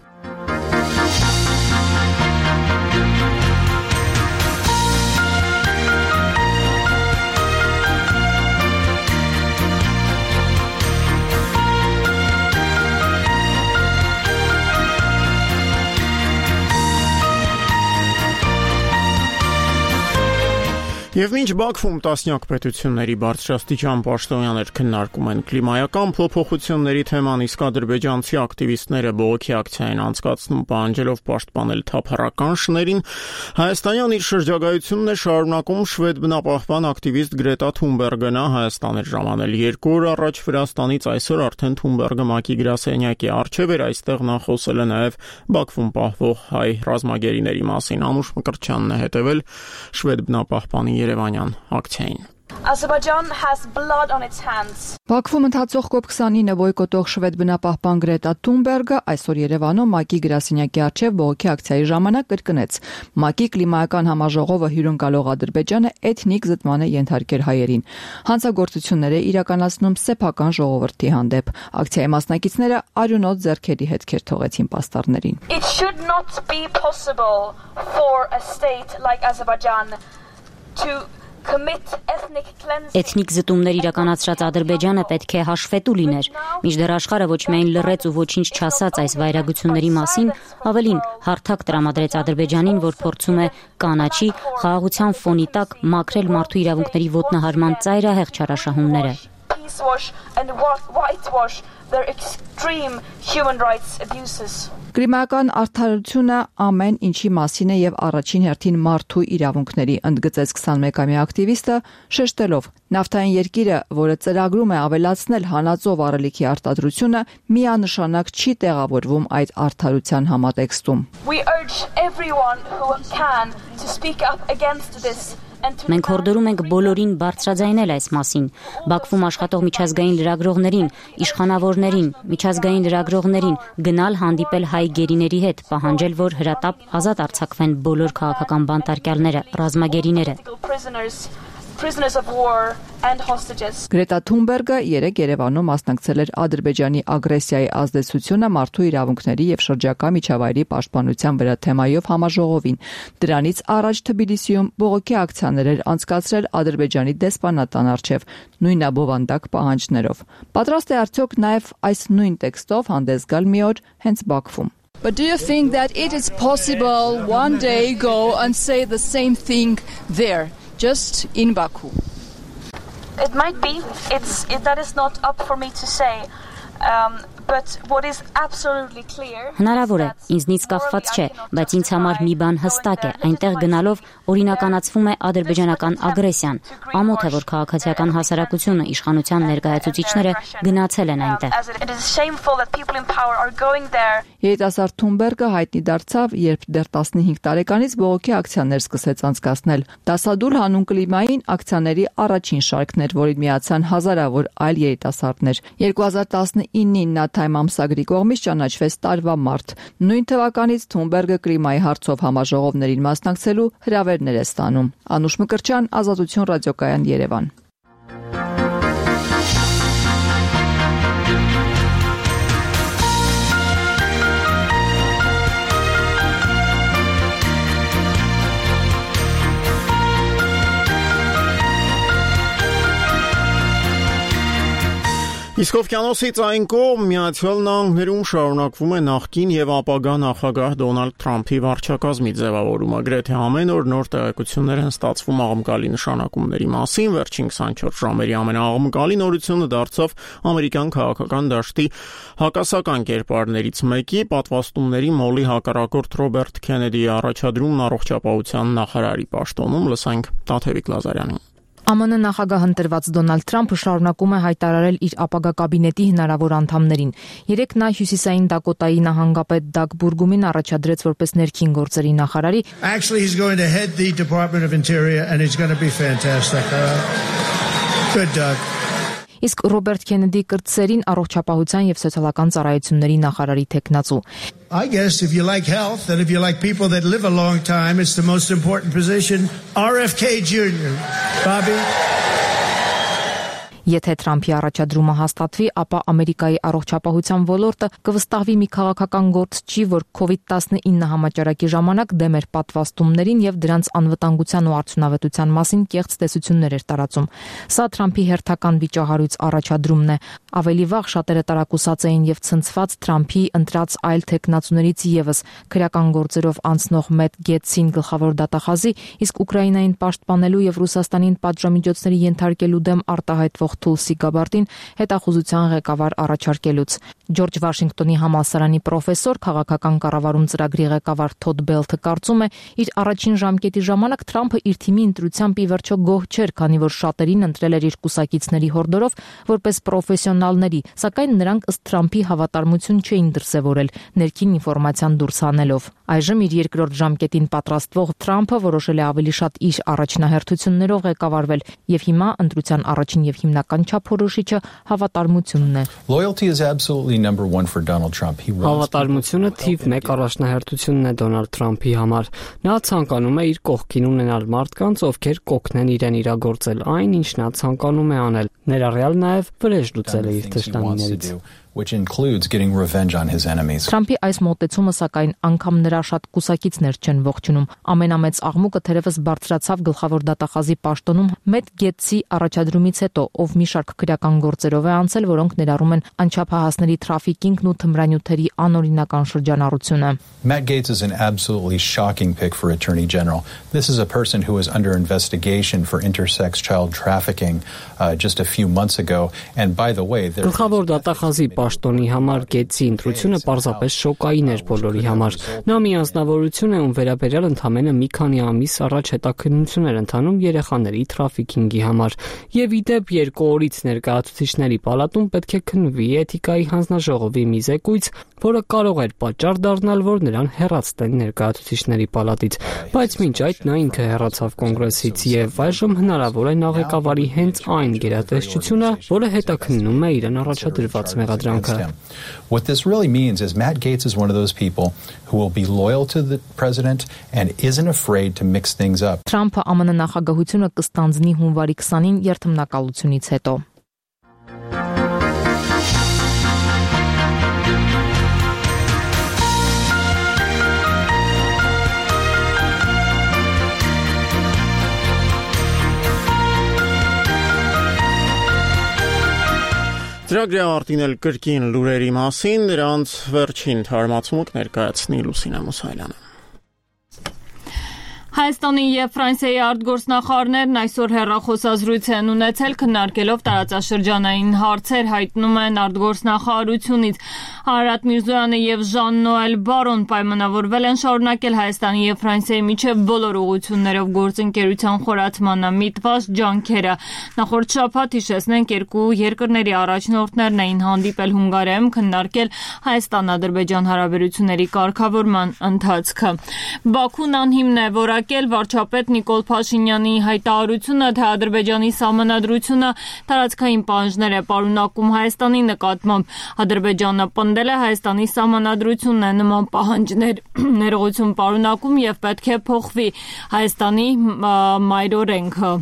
S1: Եվ մինչ Բաքվում տասնյակ պետությունների բարձրաստիճան պաշտոնյաներ քննարկում են կլիմայական փոփոխությունների թեման, իսկ ադրբեջանցի ակտիվիստները բողոքի ակցիա են անցկացնում պահանջելով պաշտպանել թափառական շներին, հայաստանյան իր շրջագայությունն է շարունակում շվեդ բնապահպան ակտիվիստ Գրետա Թունբերգը նա Հայաստան էր ժամանել երկու օր առաջ Վրաստանից, այսօր արդեն Թունբերգը ՄԱԿ-ի գրասենյակի առջև էր, այստեղ նա խոսել է նաև Բաքվում պահվող հայ ռազմագերիների մասին։ Անուշ Մկրտչյանն է հետևել շվեդ բնապահպանի Երևանյան ակցիային։
S13: Azerbaijan has blood on its hands.
S2: Բաքվում ընթացող կոպ քսանինը բոյկոտող շվեդ բնապահպան Գրետա Թունբերգը այսօր Երևանում ՄԱԿ-ի գրասենյակի առջև բողոքի ակցիայի ժամանակ կրկնեց. ՄԱԿ-ի կլիմայական համաժողովը հյուրընկալող Ադրբեջանը էթնիկ զտման է ենթարկել հայերին։ Հանցագործություններ է իրականացնում սեփական ժողովրդի հանդեպ։ Ակցիայի մասնակիցները արյունոտ ձեռքերի հետքեր թողեցին պաստառներին։
S13: It should not be possible for a state like Azerbaijan to
S15: Էթնիկ զտումներ իրականացրած Ադրբեջանը պետք է հաշվետու լիներ, մինչդեռ աշխարհը ոչ միայն լռեց ու ոչինչ չասաց այս վայրագությունների մասին, ավելին հարթակ տրամադրեց Ադրբեջանին, որ փորձում է կանաչի խաղաղության ֆոնի տակ մաքրել մարդու իրավունքների ոտնահարման ծայրահեղ չարաշահումները։
S13: And whitewash their extreme human rights abuses.
S2: Կլիմայական արդարությունը ամեն ինչի մասին է եւ առաջին հերթին մարդու իրավունքների, ընդգծեց քսանմեկամյա ակտիվիստը, շեշտելով. նավթային երկիրը, որը ծրագրում է ավելացնել հանածո վառելիքի արտադրությունը, միանշանակ չի տեղավորվում այդ արդարության համատեքստում։
S13: We urge everyone who can to speak up against this.
S15: Մենք հորդորում ենք բոլորին բարձրաձայնել այս մասին։ Բաքվում աշխատող միջազգային լրագրողներին, իշխանավորներին, միջազգային լրագրողներին գնալ հանդիպել հայ գերիների հետ, պահանջել, որ հրատապ ազատ արձակվեն բոլոր քաղաքական բանտարկյալները, ռազմագերիները։
S13: Prisoners of war and hostages.
S2: Գրետա Թունբերգը երեկ Երևանում մասնակցել էր Ադրբեջանի ագրեսիայի ազդեցությունը մարդու իրավունքների եւ շրջակա միջավայրի պաշտպանության վրա թեմայով համաժողովին։ Դրանից առաջ Թբիլիսիում բողոքի ակցիաներ էր անցկացրել Ադրբեջանի դեսպանատան առջև նույնաբովանդակ պահանջներով։ Պատրաստ է արդյոք նաեւ այս նույն տեքստով հանդես գալ մի օր հենց Բաքվում։
S16: But do you think that it is possible one day go and say the same thing there? Just in Baku.
S13: It might be. It's it, that is not up for me to say. Um, but what is absolutely clear.
S15: Հնարավոր է, ինձնից կախված չէ, բայց ինձ համար մի բան հստակ է, այնտեղ գնալով օրինականացվում է ադրբեջանական ագրեսիան։ Ամոթ է, որ քաղաքացիական հասարակությունը, իշխանության ներկայացուցիչները գնացել են այնտեղ։
S13: It is shameful that people in power are going there.
S11: Երիտասարդ Թունբերգը հայտնի դարձավ, երբ դեռ տասնհինգ տարեկանից բողոքի ակցիաներ սկսեց անցկացնել։ Դասադուլ հանուն կլիմային ակցիաների առաջին շարքն էր, որին միացան հազարավոր այլ երիտասարդներ։ երկու հազար տասնինին նա Time ամսագրի կողմից ճանաչվեց տարվա մարդ։ Նույն թվականից Թունբերգը կլիմայի հարցով համաժողովներին մասնակցելու հրավերներ է ստանում։ Անուշ Մկրտչյան, Ազատություն ռադիոկայան, Երևան։
S1: Իսկ օվկիանոսից այն կողմ Միացյալ Նահանգներում շարունակվում է նախկին եւ ապագա նախագահ Դոնալդ Թրամփի վարչակազմի ձևավորումը։ Գրեթե ամեն օր նոր տեղեկություններ են ստացվում աղմկալի նշանակումների մասին։ Վերջին քսանչորս ժամերի ամենաաղմկալի նորությունը դարձավ ամերիկյան քաղաքական դաշտի հակասական կերպարներից մեկի պատվաստումների մոլի հակառակորդ Ռոբերտ Քենեդիի առաջադրումն առողջապահության նախարարի պաշտոնում։ Լսենք Տաթևիկ Լազարյանին։
S7: ԱՄՆ նախագահ ընտրված Դոնալդ Թրամփը շարունակում է հայտարարել իր ապագա կաբինետի հնարավոր անդամներին։ Երեկ նա Հյուսիսային Դակոտայի նահանգապետ Դագ Բուրգումին առաջադրեց որպես ներքին գործերի նախարարի։
S17: Actually he's going to head the Department of Interior and it's going to be fantastic. Uh, good Doug.
S7: Իսկ Ռոբերտ Քենեդի կրտսերին առողջապահության եւ սոցիալական ծառայությունների նախարարի թեկնածու։
S17: I guess if you like health and if you like people that live a long time, it's the most important position. R F K Junior Bobby.
S7: Եթե Թրամփի առաջադրումը հաստատվի, ապա Ամերիկայի առողջապահության ոլորտը կվստահվի մի քաղաքական գործչի, որ քովիդ տասնինը համաճարակի ժամանակ դեմ էր պատվաստումներին եւ դրանց անվտանգության ու արդյունավետության մասին կեղծ տեսություններ էր տարածում։ Սա Թրամփի հերթական վիճահարույց առաջադրումն է։ Ավելի վաղ շատերը տարակուսած էին եւ ցնցված Թրամփի ընտրած այլ թեկնածուներից եւս քրեական գործերով անցնող Մեթ Գեթսին գլխավոր դատախազի, իսկ Ուկրաինային պաշտպանելու եւ Ռուսաստանին պատժամիջոցների ենթարկելու դեմ արտահայտվող Թուլսի Գաբարտին հետախուզության ղեկավար առաջարկելուց։ Ջորջ Վաշինգտոնի համալսարանի պրոֆեսոր, քաղաքական կառավարում ծրագրի ղեկավար Թոդ Բելթը կարծում է, իր առաջին ժամկետի ժամանակ Թրամփը իր թիմի ընտրությամբ ի վերջո գոհ չէր, քանի որ շատերին ընտրել էր իր կուսակիցների հորդորով որպես պրոֆեսիոնալների, սակայն նրանք ըստ Թրամփի հավատարմություն չէին դրսևորել ներքին ինֆորմացիան դուրս հանելով։ Այժմ իր երկրորդ ժամկետին պատրաստվող Թրամփը որոշել է ավելի շատ իր առաջնահերթություններով ղեկավարվել եւ հիմա ընտրության առաջին եւ հիմնական չափորոշիչը հավատարմությունն է։
S18: Loyalty is absolutely number one for Donald Trump. He
S14: Հավատարմությունը թիվ մեկ առաջնահերթությունն է Դոնալդ Թրամփի համար։ Նա ցանկանում է իր կողքին ունենալ մարդկանց, ովքեր կօգնեն իրեն իրագործել այն, ինչ նա ցանկանում է անել, ներառյալ նաեւ վրեժ լուծել իր թշնամիներից,
S18: which includes getting revenge on his enemies.
S7: Թրամփի այս մոտեցումը սակայն անգամ նրա շատ կուսակիցներ չեն ողջունում։ Ամենամեծ աղմուկը թերևս բարձրացավ գլխավոր դատախազի պաշտոնում Մեթ Գեթսի առաջադրումից հետո, ով մի շարք քրեական գործերով է անցել, որոնք ներառում են անչափահասների թրաֆիկինգն ու թմրանյութերի անօրինական շրջանառությունը։
S18: Matt Gaetz is an absolutely shocking pick for Attorney General. This is a person who was under investigation for intersex child trafficking uh, just a few months ago, and by the way, there
S14: Գլխավոր դատախազի պաշտոնի համար Գեթսի ընտրությունը պարզապես շոկային էր բոլորի համար։ Նա մի անձնավորություն է, ում վերաբերյալ ընդամենը մի քանի ամիս առաջ հետաքննություն էր ընթանում երեխաների թրաֆիկինգի համար։ Եվ ի դեպ երկու օրից ներկայացուցիչների պալատում պետք է քննվի էթիկայի հանձնաժողովի մի զեկույց, որը կարող էր պատճառ դառնալ, որ նրան հեռացնեն ներկայացուցիչների պալատից, բայց մինչ այդ նա ինքը հեռացավ կոնգրեսից եւ այժմ հնարավոր է նա ղեկավարի հենց այն գերատեսչությունը, որը հետաքննում է իրեն առաջադրված մեղադրանքը։
S18: What this really means is Matt Gaetz is one of those people who will be loyal to the president and isn't afraid to mix things up.
S7: Թրամփը ԱՄՆ նախագահությունը կստանձնի հունվարի քսանին երթմնակալությունից հետո։
S1: Ծրագրի արտին էլ կրկին լուրերի մասին, նրանց վերջին թարմացումը կներկայացնի Լուսինե Մուսայելյանը։
S4: Հայաստանի եւ Ֆրանսիայի արտգործնախարարներն այսօր հեռախոսազրույց են ունեցել, քննարկելով տարածաշրջանային հարցեր, հայտնում են արտգործնախարարությունից։ Արարատ Միրզոյանը եւ Ժան-Նոել Բարոն պայմանավորվել են շարունակել Հայաստանի եւ Ֆրանսիայի միջև բոլոր ուղղություններով գործընկերության խորացմանը միտված ջանքերը։ Նախորդ շաբաթ, հիշեցնենք, երկու երկրների առաջնորդներն էին հանդիպել Հունգարիայում, քննարկել Հայաստան-Ադրբեջան հարաբերությունների կարգավորման ընթացքը։ Բաքուն անհիմն է որակել վարչապետ Նիկոլ Փաշինյանի հայտարարությունը, թե Ադրբեջանի սահմանադրությունը տարածքային պահանջներ է պարունակում Հայաստանի նկատմամբ։ Ադրբեջանը պնդել է Հայաստանի սահմանադրությունն է նման պահանջներ ներողություն պարունակում եւ պետք է փոխվի Հայաստանի մայրօրենքը։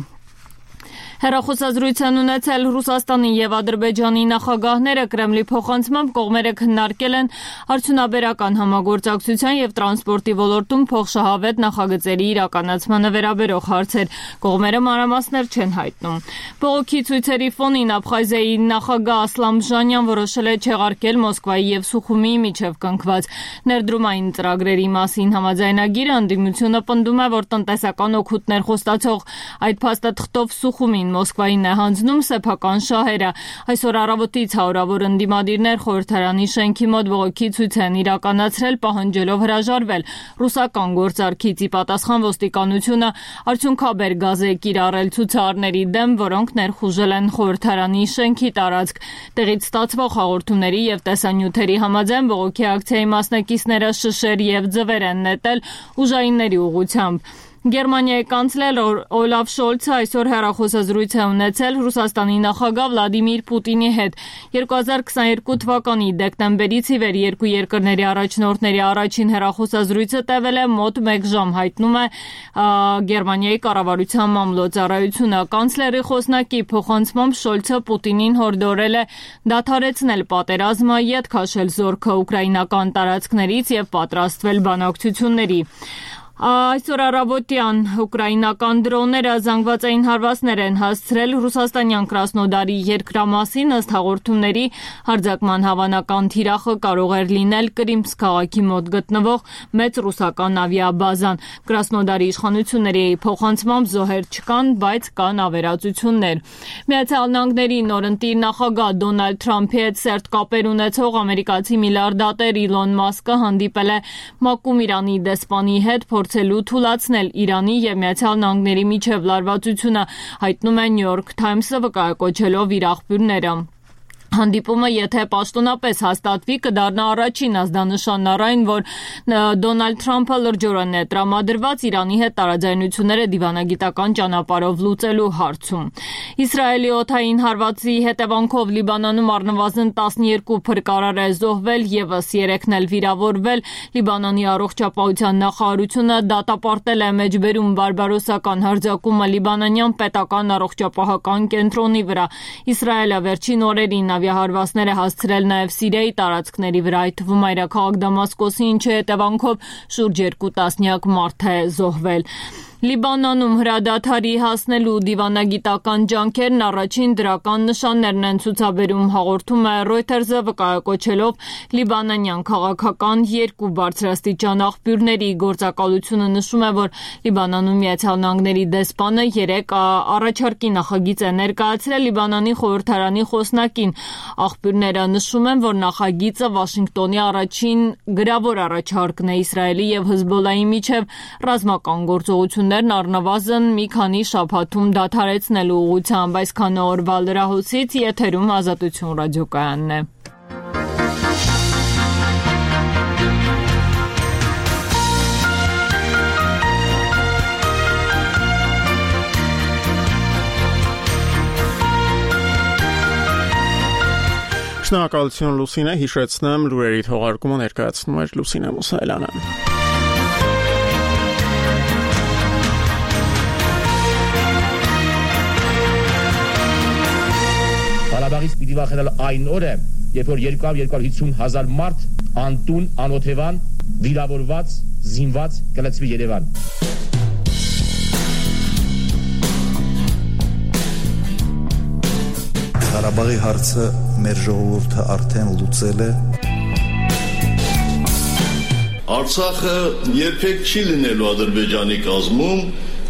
S4: Հեռախոսազրույց են ունեցել Ռուսաստանի եւ Ադրբեջանի նախագահները, Կրեմլի փոխանցմամբ կողմերը քննարկել են արդյունաբերական համագործակցության եւ տրանսպորտի ոլորտում փոխշահավետ նախագծերի իրականացմանը վերաբերող հարցեր։ Կողմերը մանրամասներ չեն հայտնում։ Բողոքի ցույցերի ֆոնին Աբխազիայի նախագահ Ասլան Բժանյան որոշել է չեղարկել Մոսկվայի եւ Սուխումիի միջև կնքված ներդրումային ծրագրերի մասին համաձայնագիրը։ Ընդդիմությունը պնդում է, որ տնտեսական օգուտներ խոստացող այդ փաստաթղթով Սուխումին Մոսկվային է հանձնում սեփական շահերը։ Այսօր առավոտից հարյուրավոր ընդդիմադիրներ խորհրդարանի շենքի մոտ բողոքի ցույց են իրականացրել, պահանջելով հրաժարվել ռուսական գործարքից։ Ի պատասխան ոստիկանությունը արդյունքաբեր գազ է կիրառել ցուցարարների դեմ, որոնք ներխուժել են խորհրդարանի շենքի տարածք։ Տեղից ստացվող հաղորդումների եւ տեսանյութերի համաձայն բողոքի ակցիայի մասնակիցները շշեր եւ ձվեր են նետել ուժայինների ուղղությամբ։ Գերմանիայի կանցլեր Օլաֆ Շոլցը այսօր հեռախոսազրույց է ունեցել Ռուսաստանի նախագահ Վլադիմիր Պուտինի հետ։ երկու հազար քսաներկու թվականի դեկտեմբերից ի վեր երկու երկրների առաջնորդների առաջին հեռախոսազրույցը տևել է մոտ մեկ ժամ, հայտնում է Գերմանիայի կառավարության մամլոյցարայությունը։ Կանցլերի խոսնակի փոխանցմամբ Շոլցը Պուտինին հորդորել է դադարեցնել պատերազմը, ետ քաշել զորքը ուկրաինական տարածքներից եւ պատրաստվել բանակցությունների։ Այսօր առավոտյան ուկրաինական դրոնները զանգվածային հարվածներ են հասցրել ռուսաստանյան Կրասնոդարի երկրամասին, ըստ հաղորդումների հարձակման հավանական թիրախը կարող էր լինել Կրիմսկ քաղաքի մոտ գտնվող մեծ ռուսական ավիաբազան։ Կրասնոդարի իշխանությունների փոխանցմամբ զոհեր չկան, բայց կան ավերածություններ։ Միացյալ Նահանգների նորընտիր նախագահ Դոնալդ Թրամփի հետ սերտ կապեր ունեցող ամերիկացի միլիարդատեր Իլոն Մասկը հանդիպել է Մակում Իրանի դեսպանի հետ, փորձելու թուլացնել Իրանի եւ Միացյալ Նահանգների միջև լարվածությունը, հայտնում է New York Times-ը վկայակոչելով իր աղբյուրները։ Հանդիպումը, եթե պաշտոնապես հաստատվի, կդառնա առաջին ազդանշանն առ այն, որ Դոնալդ Թրամփը լրջորեն է տրամադրված Իրանի հետ տարաձայնությունները դիվանագիտական ճանապարհով լուծելու հարցում։ Իսրայելի օդային հարվածի հետևանքով Լիբանանում առնվազն տասներկու փրկարար է զոհվել, եւս երեքն էլ վիրավորվել։ Լիբանանի առողջապահության նախարարությունը դատապարտել է մեջբերում բարբարոսական հարձակումը լիբանանյան պետական առողջապահական կենտրոնի վրա։ Իսրայելը վերջին օրերին ավիահարվածներ է հասցրել նաև Սիրիայի տարածքների վրա, այդ թվում մայրաքաղաք Դամասկոսի, ինչի հետևանքով շուրջ երկու տասնյակ մարդ է զոհվել։ Լիբանանում հրադադարի հասնելու դիվանագիտական ջանքերն առաջին դրական նշաններն են ցուցաբերում, հաղորդում է Reuters-ը վկայակոչելով լիբանանյան քաղաքական երկու բարձրաստիճան աղբյուրների գործակալությունը նշում է, որ Լիբանանում Միացյալ Նահանգների դեսպանը երեք առաջարկի նախագիծ է ներկայացրել Լիբանանի խորհրդարանի խոսնակին։ Աղբյուրները նշում են, որ նախագիծը Վաշինգտոնի առաջին գրավոր առաջարկն է Իսրայելի եւ Հեզբոլլայի միջև ռազմական գործողություն առնվազն մի քանի շաբաթում դադարեցնելու ուղղությամբ։ Այսքան օրվա լրահոսից եթերում Ազատություն ռադիոկայանն է։
S1: Շնորհակալություն Լուսինե, հիշեցնեմ լուրերի թողարկումը ներկայացնում էր Լուսինե Մուսայելյանը։
S8: Ղարաբաղից պիտի վախենալ այն օրը, երբ որ երկու հարյուր հիսուն հազար մարդ անտուն, անօթևան, վիրավորված, զինված կլցվի Երևան։
S19: Ղարաբաղի հարցը մեր ժողովուրդը արդեն լուծել է։ Արցախը երբեք չի լինելու Ադրբեջանի կազմում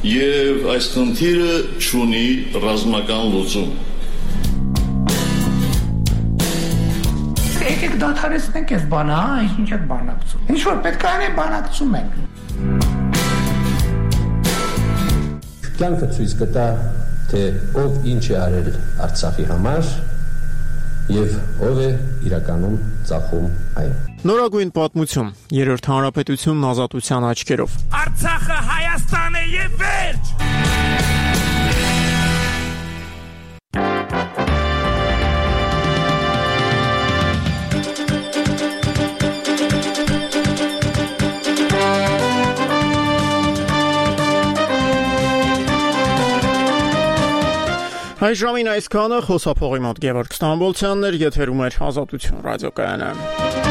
S19: եւ այս խնդիրը չունի ռազմական լուծում։
S20: Եկեք դադարեցնենք այս բանը, հա, ինչ եք բանակցում։ Ինչ որ պետք է անենք, բանակցում ենք։
S21: Կյանքը ցույց կտա, թե ով ինչ է արել Արցախի համար եւ ով է իրականում ծախում այն։
S1: Նորագույն պատմություն, երրորդ հանրապետությունն ազատության աչքերով։
S24: Արցախը Հայաստան է եւ վերջ։
S1: Այս ժամին այսքանը, խոսափողի մոտ Գևորգ Ստամբոլցյանն էր, եթերում էր Ազատություն ռադիոկայանը։